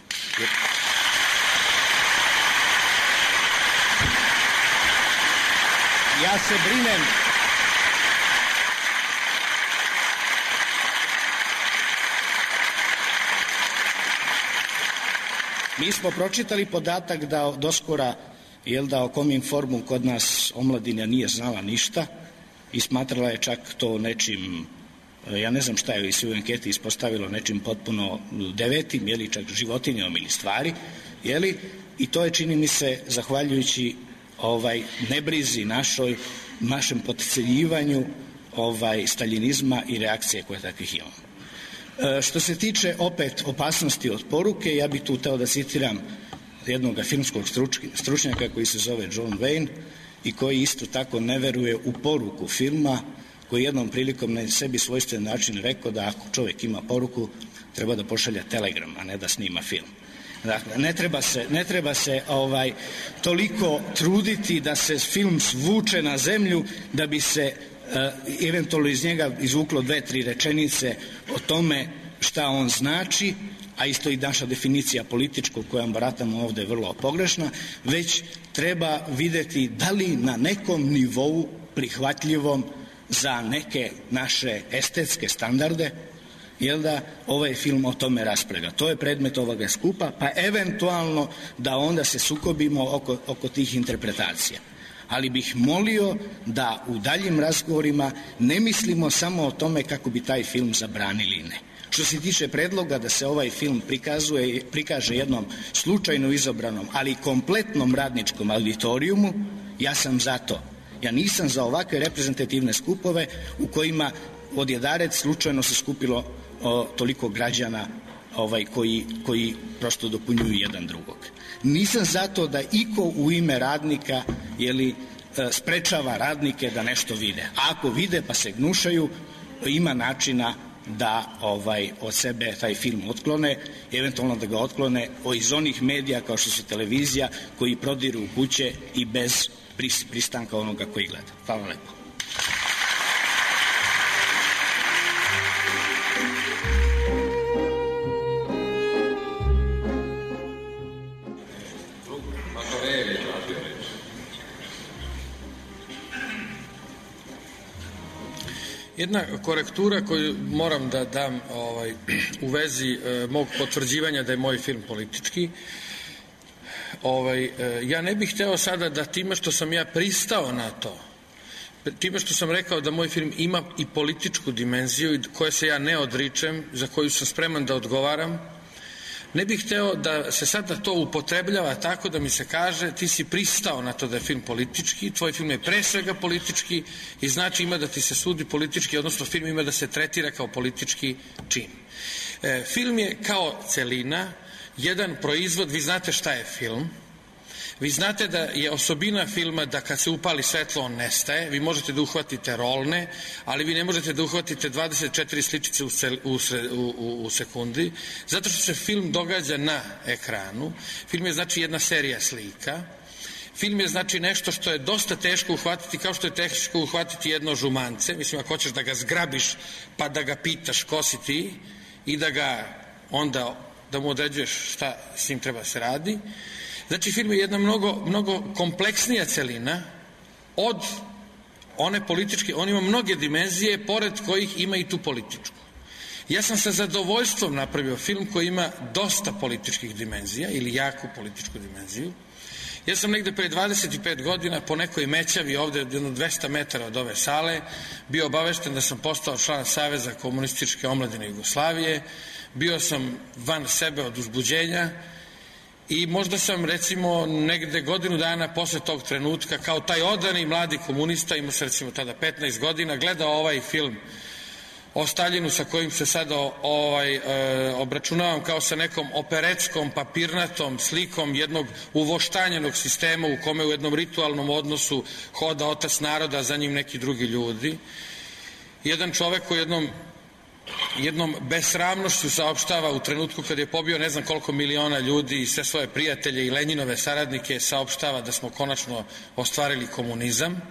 Ja se brinem mi smo pročitali podatak da doskora o Kominformu kod nas omladina nije znala ništa i smatrala je čak to nečim, ja ne znam šta je se u anketi ispostavilo, nečim potpuno devetim, čak životinjom ili stvari, i to je, čini mi se, zahvaljujući nebrizi našem potcenjivanju staljinizma i reakcije koje takvih imamo. Što se tiče opet opasnosti od poruke, ja bih tu hteo da citiram jednog filmskog stručnjaka koji se zove John Wayne i koji isto tako ne veruje u poruku filma, koji jednom prilikom na sebi svojstven način rekao da ako čovjek ima poruku treba da pošalja telegram, a ne da snima film. Dakle, ne treba se toliko truditi da se film svuče na zemlju da bi se eventualno iz njega izvuklo 2-3 rečenice o tome šta on znači, a isto i naša definicija političkog kojom baratamo ovde je vrlo pogrešna, već treba videti da li na nekom nivou prihvatljivom za neke naše estetske standarde, ovaj film o tome raspravlja. To je predmet ovoga skupa, pa eventualno da onda se sukobimo oko tih interpretacija. Ali bih molio da u daljim razgovorima ne mislimo samo o tome kako bi taj film zabranili, ne. Što se tiče predloga da se ovaj film prikaže jednom slučajno izabranom, ali kompletnom radničkom auditorijumu, ja sam za to. Ja nisam za ovakve reprezentativne skupove u kojima odjedared slučajno se skupilo toliko građana koji prosto dopunjuju jedan drugog. Nisam zato da iko u ime radnika sprečava radnike da nešto vide. A ako vide pa se gnušaju, ima načina da od sebe taj film otklone, eventualno da ga otklone iz onih medija kao što su televizija koji prodiru u kuće i bez pristanka onoga koji gleda. Hvala lepo. Jedna korektura koju moram da dam u vezi mog potvrđivanja da je moj film politički. Ja ne bih hteo sada da time što sam ja pristao na to, time što sam rekao da moj film ima i političku dimenziju koje se ja ne odričem, za koju sam spreman da odgovaram, ne bih hteo da se sada to upotrebljava tako da mi se kaže ti si pristao na to da je film politički, tvoj film je pre svega politički i znači ima da ti se sudi politički, odnosno film ima da se tretira kao politički čin. Film je kao celina, jedan proizvod, vi znate šta je film, vi znate da je osobina filma da kad se upali svetlo on nestaje, vi možete da uhvatite rolne, ali vi ne možete da uhvatite 24 sličice u sekundi, zato što se film događa na ekranu. Film je znači jedna serija slika, film je znači nešto što je dosta teško uhvatiti, kao što je teško uhvatiti jedno žumance, mislim ako hoćeš da ga zgrabiš pa da ga pitaš ko si ti i da ga onda, da mu određuješ šta s njim treba se radi. Znači, film je jedna mnogo kompleksnija celina od one političke, on ima mnoge dimenzije, pored kojih ima i tu političku. Ja sam sa zadovoljstvom napravio film koji ima dosta političkih dimenzija, ili jaku političku dimenziju. Ja sam negde pre 25 godina po nekoj mećavi ovde, jedno 200 metara od ove sale, bio obavešten da sam postao član Saveza komunističke omladine Jugoslavije, bio sam van sebe od uzbuđenja i možda sam recimo negde godinu dana posle tog trenutka kao taj odani mladi komunista, imao sam recimo tada 15 godina, gledao ovaj film o Staljinu sa kojim se sada obračunavam kao sa nekom operetskom, papirnatom slikom jednog uvoštanjenog sistema u kome u jednom ritualnom odnosu hoda otac naroda, za njim neki drugi ljudi. Jedan čovek koji jednom besramnošću saopštava u trenutku kad je pobio ne znam koliko miliona ljudi i sve svoje prijatelje i Lenjinove saradnike, saopštava da smo konačno ostvarili komunizam.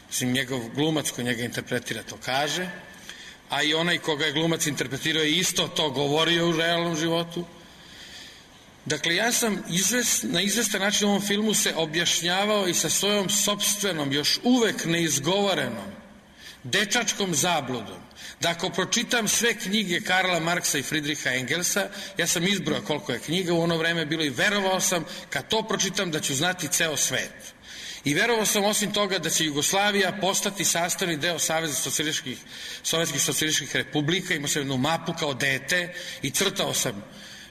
Mislim, njegov glumac koji njega interpretira to kaže, a i onaj koga je glumac interpretirao je isto to govorio u realnom životu. Dakle, ja sam na izvestan način u ovom filmu se objašnjavao i sa svojom sopstvenom, još uvek neizgovorenom, dečačkom zabludom, da ako pročitam sve knjige Karla Marksa i Friedricha Engelsa, ja sam izbrojao koliko je knjiga u ono vreme bilo i verovao sam kad to pročitam da ću znati ceo svet. I verovao sam osim toga da će Jugoslavija postati sastavni deo Saveza sovjetskih socijalističkih republika. Imao sam jednu mapu kao dete i crtao sam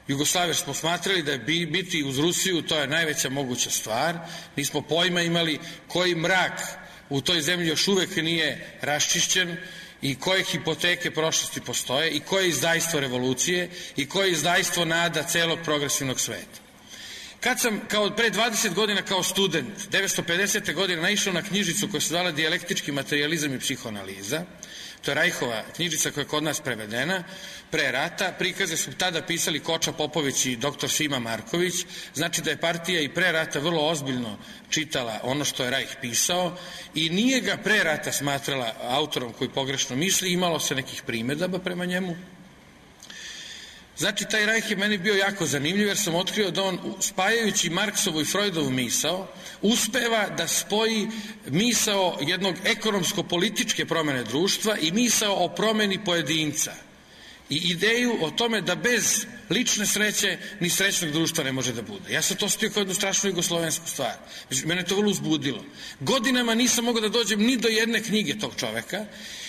Jugoslaviju. Smo smatrali da je biti uz Rusiju to je najveća moguća stvar. Nismo pojma imali koji mrak u toj zemlji još uvek nije raščišćen i koje hipoteke prošlosti postoje i koje izdajstvo revolucije i koje izdajstvo nada celog progresivnog sveta. Kad sam pre 20 godina kao student, 1950. godine, naišao na knjižicu koja se zvala Dijalektički materijalizam i psihoanaliza, to je Rajhova knjižica koja je kod nas prevedena pre rata, prikaze su tada pisali Koča Popović i dr. Sima Marković, znači da je partija i pre rata vrlo ozbiljno čitala ono što je Rajh pisao i nije ga pre rata smatrala autorom koji pogrešno misli, imalo se nekih primedaba prema njemu. Znači, taj Rajh je meni bio jako zanimljiv jer sam otkrio da on, spajajući Marksovu i Freudovu misao, uspeva da spoji misao jednog ekonomsko-političke promene društva i misao o promeni pojedinca i ideju o tome da bez lične sreće ni srećnog društva ne može da bude. Ja sam to stio kao jednu strašnu jugoslovensku stvar. Mene to vrlo uzbudilo. Godinama nisam mogao da dođem ni do jedne knjige tog čoveka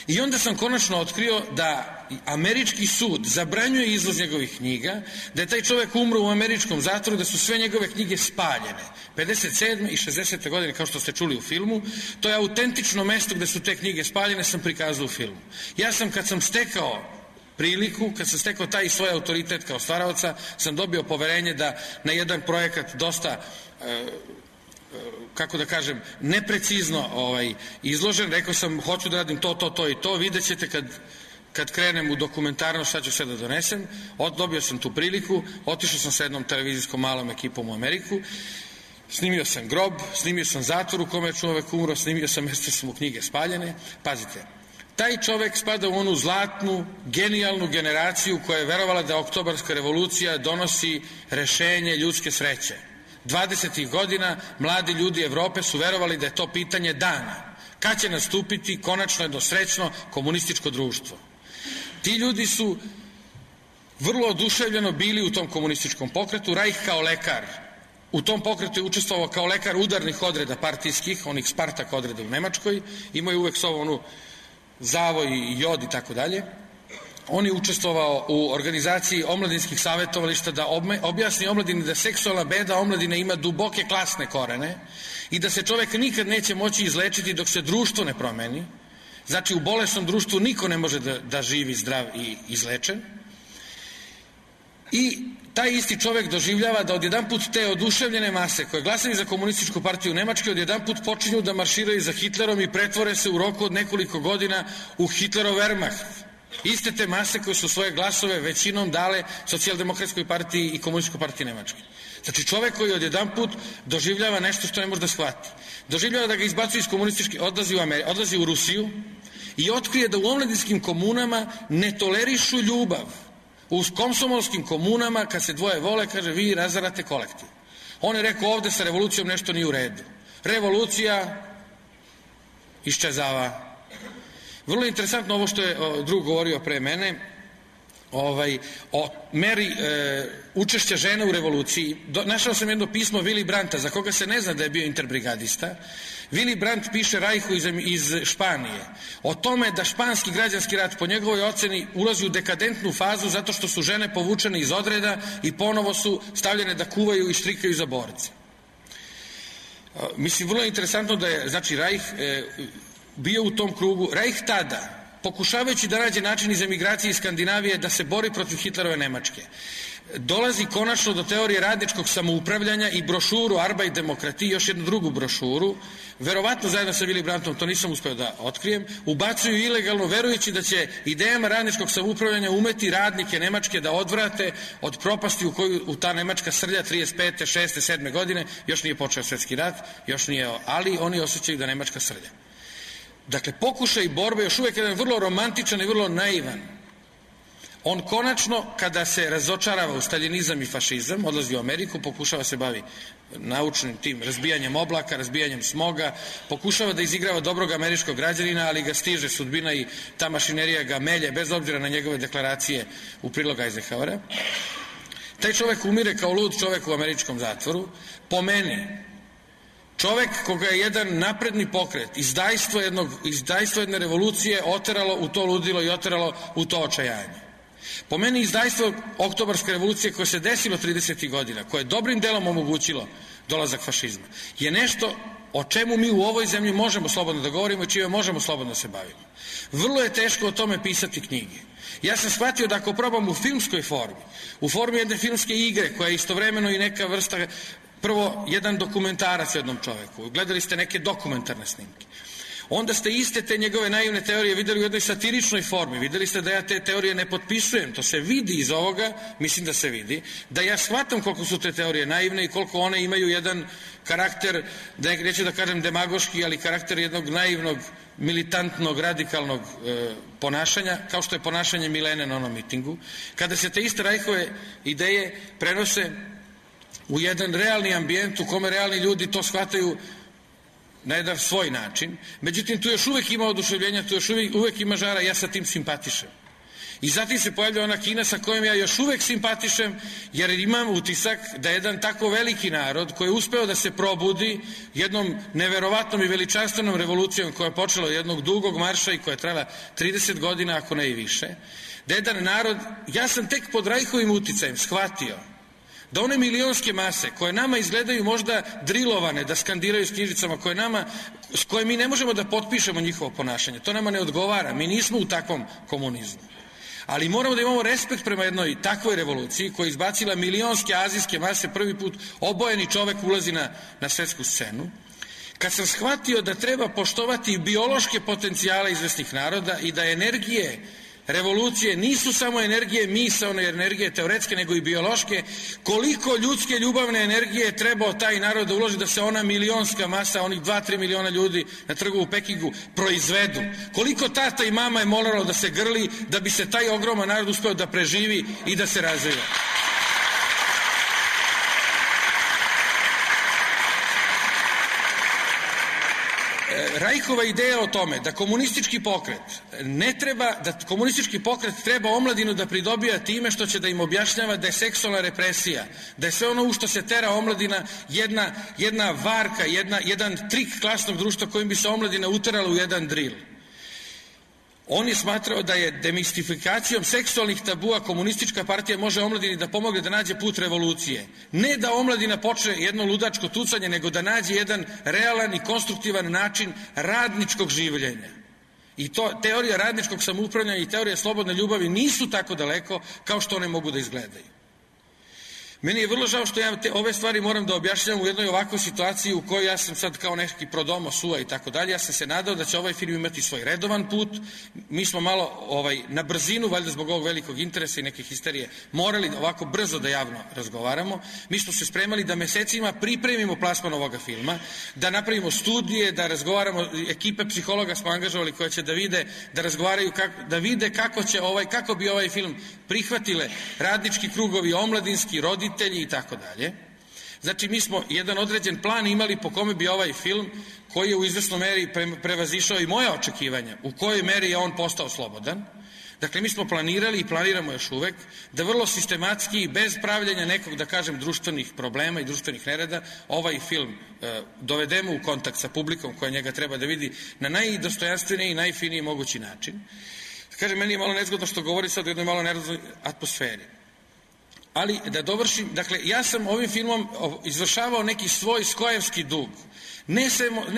i onda sam konačno otkrio da američki sud zabranjuje izvoz njegovih knjiga, da je taj čovek umro u američkom zatvoru, da su sve njegove knjige spaljene. 57. i 60. godine, kao što ste čuli u filmu, to je autentično mesto gde su te knjige spaljene, sam prikazao u filmu. Ja sam, kad sam stekao priliku, kad sam stekao taj svoj autoritet kao stvaraoca, sam dobio poverenje da na jedan projekat dosta kako da kažem, neprecizno izložen, rekao sam hoću da radim to i to, vidjet ćete kad krenem u dokumentarno šta ću sve da donesem. Dobio sam tu priliku, otišao sam sa jednom televizijskom malom ekipom u Ameriku, snimio sam grob, snimio sam zatvor u kome je čovek umro, snimio sam mjesto su mu knjige spaljene. Pazite, taj čovek spada u onu zlatnu, genijalnu generaciju koja je verovala da Oktobarska revolucija donosi rešenje ljudske sreće. 20. godina mladi ljudi Evrope su verovali da je to pitanje dana. Kad će nastupiti konačno jedno srećno komunističko društvo? Ti ljudi su vrlo oduševljeno bili u tom komunističkom pokretu. Rajh kao lekar u tom pokretu je učestvovao kao lekar udarnih odreda partijskih, onih Spartak odreda u Nemačkoj. Imao je uvek s ovom onu zavoj i jod i tako dalje. On je učestvovao u organizaciji omladinskih savjetovališta da objasni omladini da seksualna beda omladine ima duboke klasne korene i da se čovek nikad neće moći izlečiti dok se društvo ne promeni. Znači, u bolesnom društvu niko ne može da živi zdrav i izlečen. I taj isti čovek doživljava da odjedanput te oduševljene mase koje glasaju za komunističku partiju Nemačke odjedanput počinju da marširaju za Hitlerom i pretvore se u roku od nekoliko godina u Hitlerov Wehrmacht. Iste te mase koje su svoje glasove većinom dale socijaldemokratskoj partiji i komunističkoj partiji Nemačke. Znači, čovek koji odjedanput doživljava nešto što ne može da shvati. Doživljava da ga izbacuje iz komunističke, odlazi u Rusiju i otkrije da u omladinskim komunama ne tolerišu ljubav. U komsomolskim komunama, kad se dvoje vole, kaže, vi razarate kolektiv. On je rekao, ovde sa revolucijom nešto nije u redu. Revolucija iščezava. Vrlo interesantno ovo što je drug govorio pre mene, o meri učešća žena u revoluciji. Našao sam jedno pismo Willy Brandta, za koga se ne zna da je bio interbrigadista, Willy Brandt piše Rajhu iz Španije o tome da španski građanski rat po njegovoj oceni ulazi u dekadentnu fazu zato što su žene povučene iz odreda i ponovo su stavljene da kuvaju i štrikaju za borce. Mislim, vrlo je interesantno da je, znači, Rajh bio u tom krugu. Rajh tada, pokušavajući da nađe način iz emigracije iz Skandinavije da se bori protiv Hitlerove Nemačke, dolazi konačno do teorije radničkog samoupravljanja i brošuru Arbeit Demokratie, još jednu drugu brošuru, verovatno zajedno sa Willy Brandtom, to nisam uspeo da otkrijem, ubacuju ilegalno verujući da će idejama radničkog samoupravljanja umeti radnike Nemačke da odvrate od propasti u koju ta Nemačka srlja 35. 6. 7. godine, još nije počeo svetski rat, još nije, ali oni osjećaju da Nemačka srlja. Dakle, pokušaj borbe još uvijek jedan vrlo romantičan i vrlo naivan. On konačno, kada se razočarava u staljinizam i fašizam, odlazi u Ameriku, pokušava se bavi naučnim tim razbijanjem oblaka, razbijanjem smoga, pokušava da izigrava dobrog američkog građanina, ali ga stiže sudbina i ta mašinerija ga melje, bez obzira na njegove deklaracije u prilog Eisenhowera. Taj čovek umire kao lud čovek u američkom zatvoru. Po meni, čovek koga je jedan napredni pokret, izdajstvo jedne revolucije oteralo u to ludilo i oteralo u to očajanje. Po meni izdajstvo Oktobarske revolucije koje se desilo 30. godina, koje je dobrim delom omogućilo dolazak fašizma, je nešto o čemu mi u ovoj zemlji možemo slobodno da govorimo i čime možemo slobodno da se bavimo. Vrlo je teško o tome pisati knjige. Ja sam shvatio da ako probam u filmskoj formi, u formi jedne filmske igre koja je istovremeno i neka vrsta, prvo jedan dokumentarac o jednom čoveku, gledali ste neke dokumentarne snimke, onda ste iste te njegove naivne teorije videli u jednoj satiričnoj formi, videli ste da ja te teorije ne potpisujem, to se vidi iz ovoga, mislim da se vidi, da ja shvatam koliko su te teorije naivne i koliko one imaju jedan karakter, neću da kažem demagoški, ali karakter jednog naivnog, militantnog, radikalnog ponašanja, kao što je ponašanje Milene na onom mitingu, kada se te iste Rajhove ideje prenose u jedan realni ambijent u kome realni ljudi to shvataju na jedan svoj način. Međutim, tu još uvek ima oduševljenja, tu još uvek ima žara, ja sa tim simpatišem. I zatim se pojavlja ona Kina sa kojom ja još uvek simpatišem, jer imam utisak da jedan tako veliki narod koji je uspeo da se probudi jednom neverovatnom i veličanstvenom revolucijom koja je počela od jednog dugog marša i koja je trajala 30 godina, ako ne i više, da jedan narod, ja sam tek pod Rajhovim uticajem shvatio da one milionske mase koje nama izgledaju možda drilovane, da skandiraju s knjižicama, s koje mi ne možemo da potpišemo njihovo ponašanje, to nama ne odgovara, mi nismo u takvom komunizmu. Ali moramo da imamo respekt prema jednoj takvoj revoluciji koja je izbacila milionske azijske mase, prvi put obojeni čovek ulazi na svetsku scenu. Kad sam shvatio da treba poštovati biološke potencijale izvesnih naroda i da energije revolucije nisu samo energije misaone, energije teoretske, nego i biološke, koliko ljudske ljubavne energije je trebao taj narod da uloži da se ona milionska masa, onih 2-3 miliona ljudi na trgu u Pekingu proizvedu. Koliko tata i mama je moralo da se grli da bi se taj ogroman narod uspeo da preživi i da se razvija. Rajhova ideja o tome da komunistički pokret treba omladinu da pridobija time što će da im objašnjava da je seksualna represija, da je sve ono u što se tera omladina jedna varka, jedan trik klasnog društva kojim bi se omladina uterala u jedan drill. On je smatrao da je demistifikacijom seksualnih tabua komunistička partija može omladini da pomogne da nađe put revolucije. Ne da omladina počne jedno ludačko tucanje, nego da nađe jedan realan i konstruktivan način radničkog življenja. I to teorija radničkog samoupravljanja i teorija slobodne ljubavi nisu tako daleko kao što one mogu da izgledaju. Meni je vrlo žao što ja ove stvari moram da objašnjam u jednoj ovakvoj situaciji u kojoj ja sam sad kao neki prodomo sua i tako dalje. Ja sam se nadao da će ovaj film imati svoj redovan put. Mi smo malo na brzinu, valjda zbog ovog velikog interesa i neke histerije, morali ovako brzo da javno razgovaramo. Mi smo se spremali da mesecima pripremimo plasman ovoga filma, da napravimo studije, da razgovaramo, ekipe psihologa smo angažovali koje će da vide, da razgovaraju, da vide kako bi ovaj film prihvatile radnički krugovi, omladinski, roditelji i tako dalje. Znači, mi smo jedan određen plan imali po kome bi ovaj film, koji je u izvesnoj meri prevazišao i moja očekivanja, u kojoj meri je on postao slobodan. Dakle, mi smo planirali i planiramo još uvek da vrlo sistematski i bez pravljenja nekog, da kažem, društvenih problema i društvenih nereda ovaj film dovedemo u kontakt sa publikom koja njega treba da vidi na najdostojanstveniji i najfiniji mogući način. Kažem, meni je malo nezgodno što govori sad u jednoj malo nervoznoj atmosferi. Ali da dovršim, dakle, ja sam ovim filmom izvršavao neki svoj skojevski dug. Ne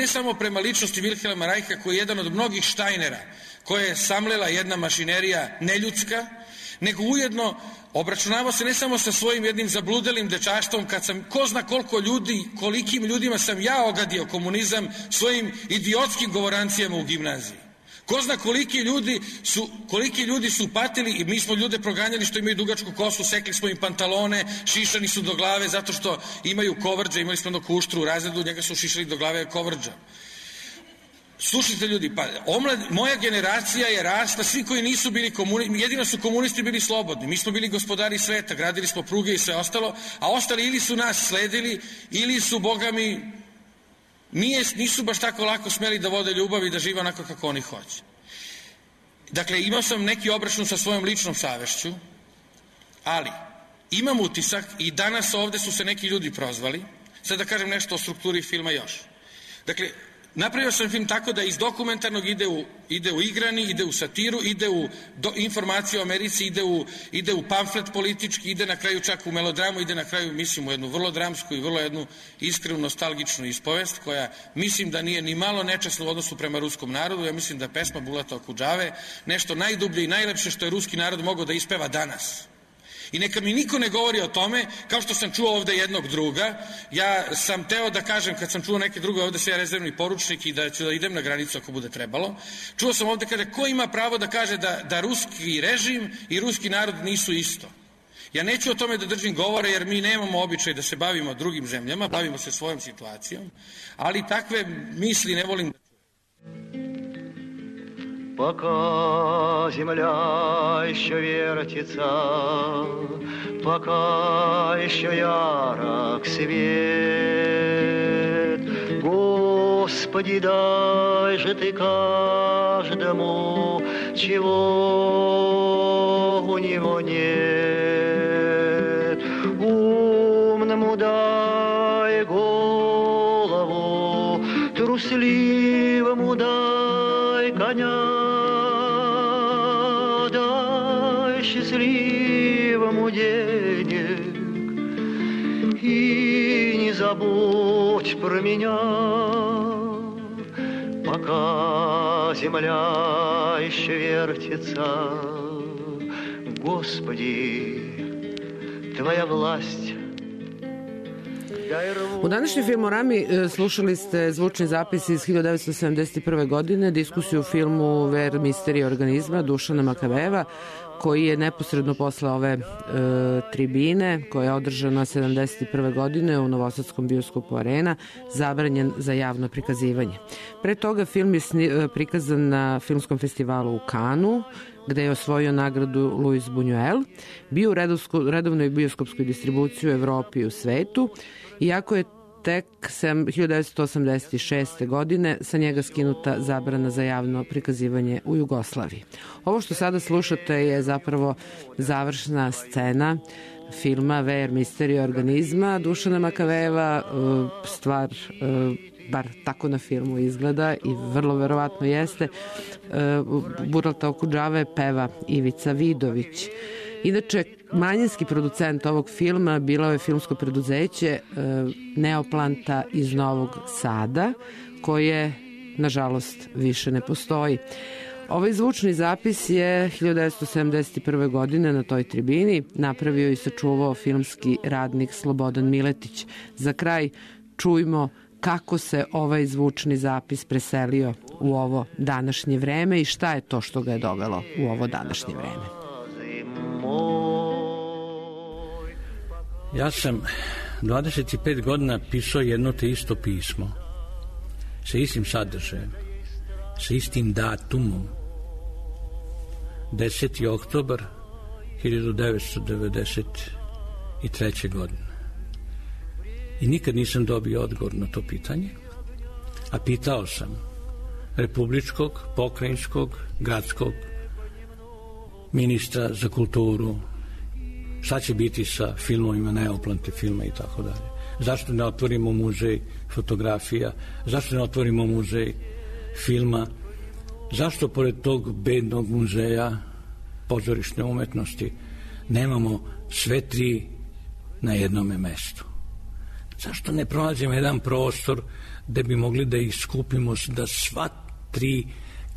samo prema ličnosti Vilhelma Reicha, koji je jedan od mnogih Steinera, koje je samlela jedna mašinerija neljudska, nego ujedno obračunavao se ne samo sa svojim jednim zabludelim dečaštvom, kad sam, ko zna koliko ljudi, kolikim ljudima sam ja ogadio komunizam svojim idiotskim govorancijama u gimnaziji. Ko zna koliki ljudi su patili i mi smo ljude proganjali što imaju dugačku kosu, sekli smo im pantalone, šišani su do glave zato što imaju kovrđa, imali smo jednog kuštru u razredu, njega su šišali do glave kovrđa. Slušajte ljudi, pa moja generacija je rasla, svi koji nisu bili komunisti, jedino su komunisti bili slobodni, mi smo bili gospodari sveta, gradili smo pruge i sve ostalo, a ostali ili su nas sledili, ili su, boga mi, nisu baš tako lako smeli da vode ljubav i da žive onako kako oni hoće. Dakle, imao sam neki obračun sa svojom ličnom savešću, ali imam utisak i danas ovde su se neki ljudi prozvali, sad da kažem nešto o strukturi filma još. Dakle, napravio sam film tako da iz dokumentarnog ide u igrani, ide u satiru, ide u informaciju o Americi, ide u pamflet politički, ide na kraju čak u melodramu, ide na kraju, mislim, u jednu vrlo dramsku i vrlo jednu iskrenu, nostalgičnu ispovest, koja mislim da nije ni malo nečasna u odnosu prema ruskom narodu. Ja mislim da pesma Bulata Okudžave nešto najdublje i najlepše što je ruski narod mogao da ispeva danas. I neka mi niko ne govori o tome, kao što sam čuo ovde jednog druga, ja sam teo da kažem, kad sam čuo neke druge, ovde se ja rezervni poručnik i da ću da idem na granicu ako bude trebalo, čuo sam ovde kada ko ima pravo da kaže da ruski režim i ruski narod nisu isto. Ja neću o tome da držim govore, jer mi nemamo običaj da se bavimo drugim zemljama, bavimo se svojom situacijom, ali takve misli ne volim da... Пока земля еще вертится, пока еще ярок свет, Господи, дай же Ты каждому, чего у него нет. Умному дай голову, трусливому дай коня, счастливому денег и не забудь про меня, пока земля еще вертится. Господи, Твоя власть. U današnjem Filmorami slušali ste zvučni zapis iz 1971. godine, diskusiju o filmu Ver misterija organizma Dušana Makavejeva, koji je neposredno posle ove tribine, koja je održana 1971. godine u Novosadskom bioskopu Arena, zabranjen za javno prikazivanje. Pre toga film je prikazan na filmskom festivalu u Kanu, gde je osvojio nagradu Louis Buñuel, bio u redovnoj bioskopskoj distribuciji u Evropi i u svetu, iako je tek 1986. godine sa njega skinuta zabrana za javno prikazivanje u Jugoslaviji. Ovo što sada slušate je zapravo završna scena filma Ver misterija organizma Dušana Makavejeva, stvar bar tako na filmu izgleda i vrlo verovatno jeste. Bulata Okudžave peva Ivica Vidović. Inače, manjinski producent ovog filma bilo je filmsko preduzeće Neoplanta iz Novog Sada, koje, nažalost, više ne postoji. Ovaj zvučni zapis je 1971. godine na toj tribini napravio i sačuvao filmski radnik Slobodan Miletić. Za kraj čujmo kako se ovaj zvučni zapis preselio u ovo današnje vreme i šta je to što ga je dovelo u ovo današnje vreme. Ja sam 25 godina pisao jedno te isto pismo sa istim sadržajem, sa istim datumom. 10. oktobar 1993. godine. I nikad nisam dobio odgovor na to pitanje, a pitao sam republičkog, pokrajinskog, gradskog ministra za kulturu, šta će biti sa filmovima, neoplante filma i tako dalje. Zašto ne otvorimo muzej fotografija, zašto ne otvorimo muzej filma, zašto pored tog bednog muzeja pozorišne umetnosti nemamo sve tri na jednome mestu. Zašto ne pronađemo jedan prostor gde bi mogli da ih skupimo, da sva tri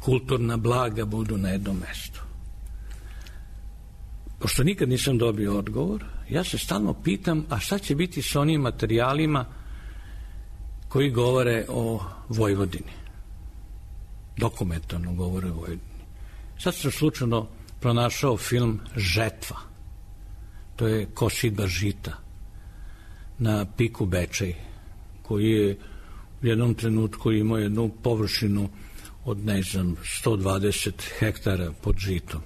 kulturna blaga budu na jednom mestu? Pošto nikad nisam dobio odgovor, ja se stalno pitam, a šta će biti sa onim materijalima koji govore o Vojvodini? Dokumentarno govore o Vojvodini. Sad sam slučajno pronašao film Žetva. To je kosidba žita na piku Bečej, koji je u jednom trenutku imao jednu površinu od, 120 hektara pod žitom.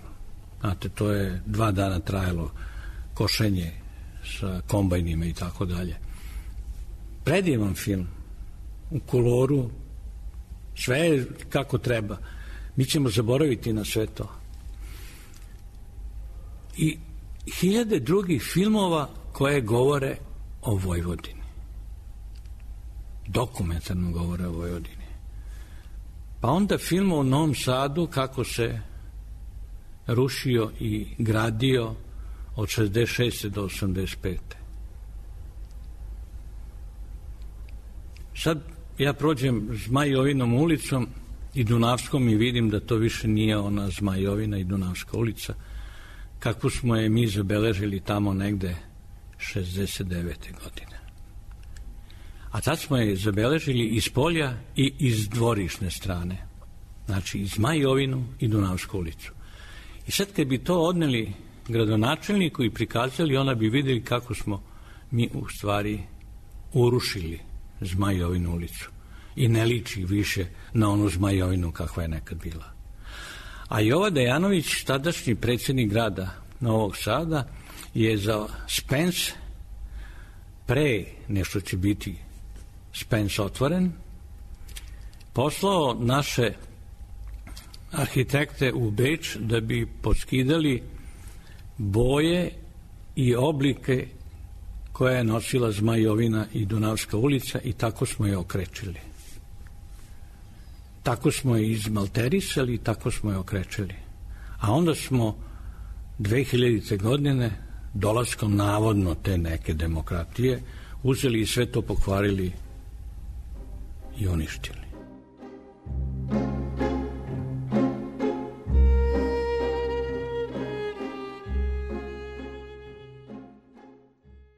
Znate, to je 2 dana trajalo košenje sa kombajnima i tako dalje. Predivan film, u koloru, sve je kako treba. Mi ćemo zaboraviti na sve to. I hiljade drugih filmova koje govore o Vojvodini. Dokumentarno govore o Vojvodini. Pa onda film o Novom Sadu, kako se rušio i gradio od 66. do 85. Sad ja prođem Zmajovinom ulicom i Dunavskom i vidim da to više nije ona Zmajovina i Dunavska ulica, kako smo je mi zabeležili tamo negde 69. godine. A tad smo je zabeležili iz polja i iz dvorišne strane. Znači, i Zmajovinu i Dunavsku ulicu. I sad kad bi to odneli gradonačelniku i prikazali, ona bi videli kako smo mi u stvari urušili Zmajovinu ulicu. I ne liči više na onu Zmajovinu kakva je nekad bila. A Jova Dejanović, tadašnji predsjednik grada Novog Sada, je za Spens, pre nešto će biti Spens otvoren, poslao naše arhitekte u Beč da bi poskidali boje i oblike koje je nosila Zmajovina i Dunavska ulica i tako smo je okrečili. Tako smo je izmalterisali i tako smo je okrečili. A onda smo 2000. godine, dolaskom navodno te neke demokratije, uzeli i sve to pokvarili i uništili.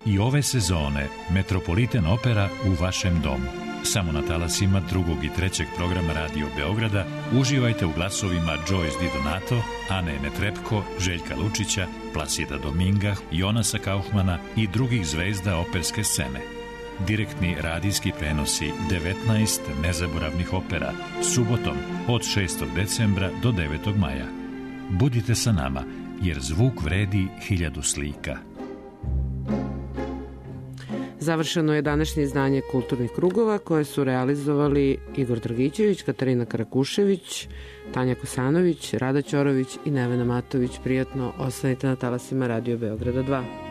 I ove sezone Metropolitan Opera u vašem domu. Samo na talasima 2. i 3. programa Radio Beograda uživajte u glasovima Joyce Di Donato, Ane Netrepko, Željka Lučića, Plasida Dominga, Jonasa Kaufmana i drugih zvezda operske scene. Direktni radijski prenosi 19 nezaboravnih opera, subotom od 6. decembra do 9. maja. Budite sa nama, jer zvuk vredi 1000 slika. Završeno je današnje izdanje Kulturnih krugova koje su realizovali Igor Dragićević, Katarina Karakušević, Tanja Kosanović, Rada Ćorović i Nevena Matović. Prijatno, ostanite na talasima Radio Beograda 2.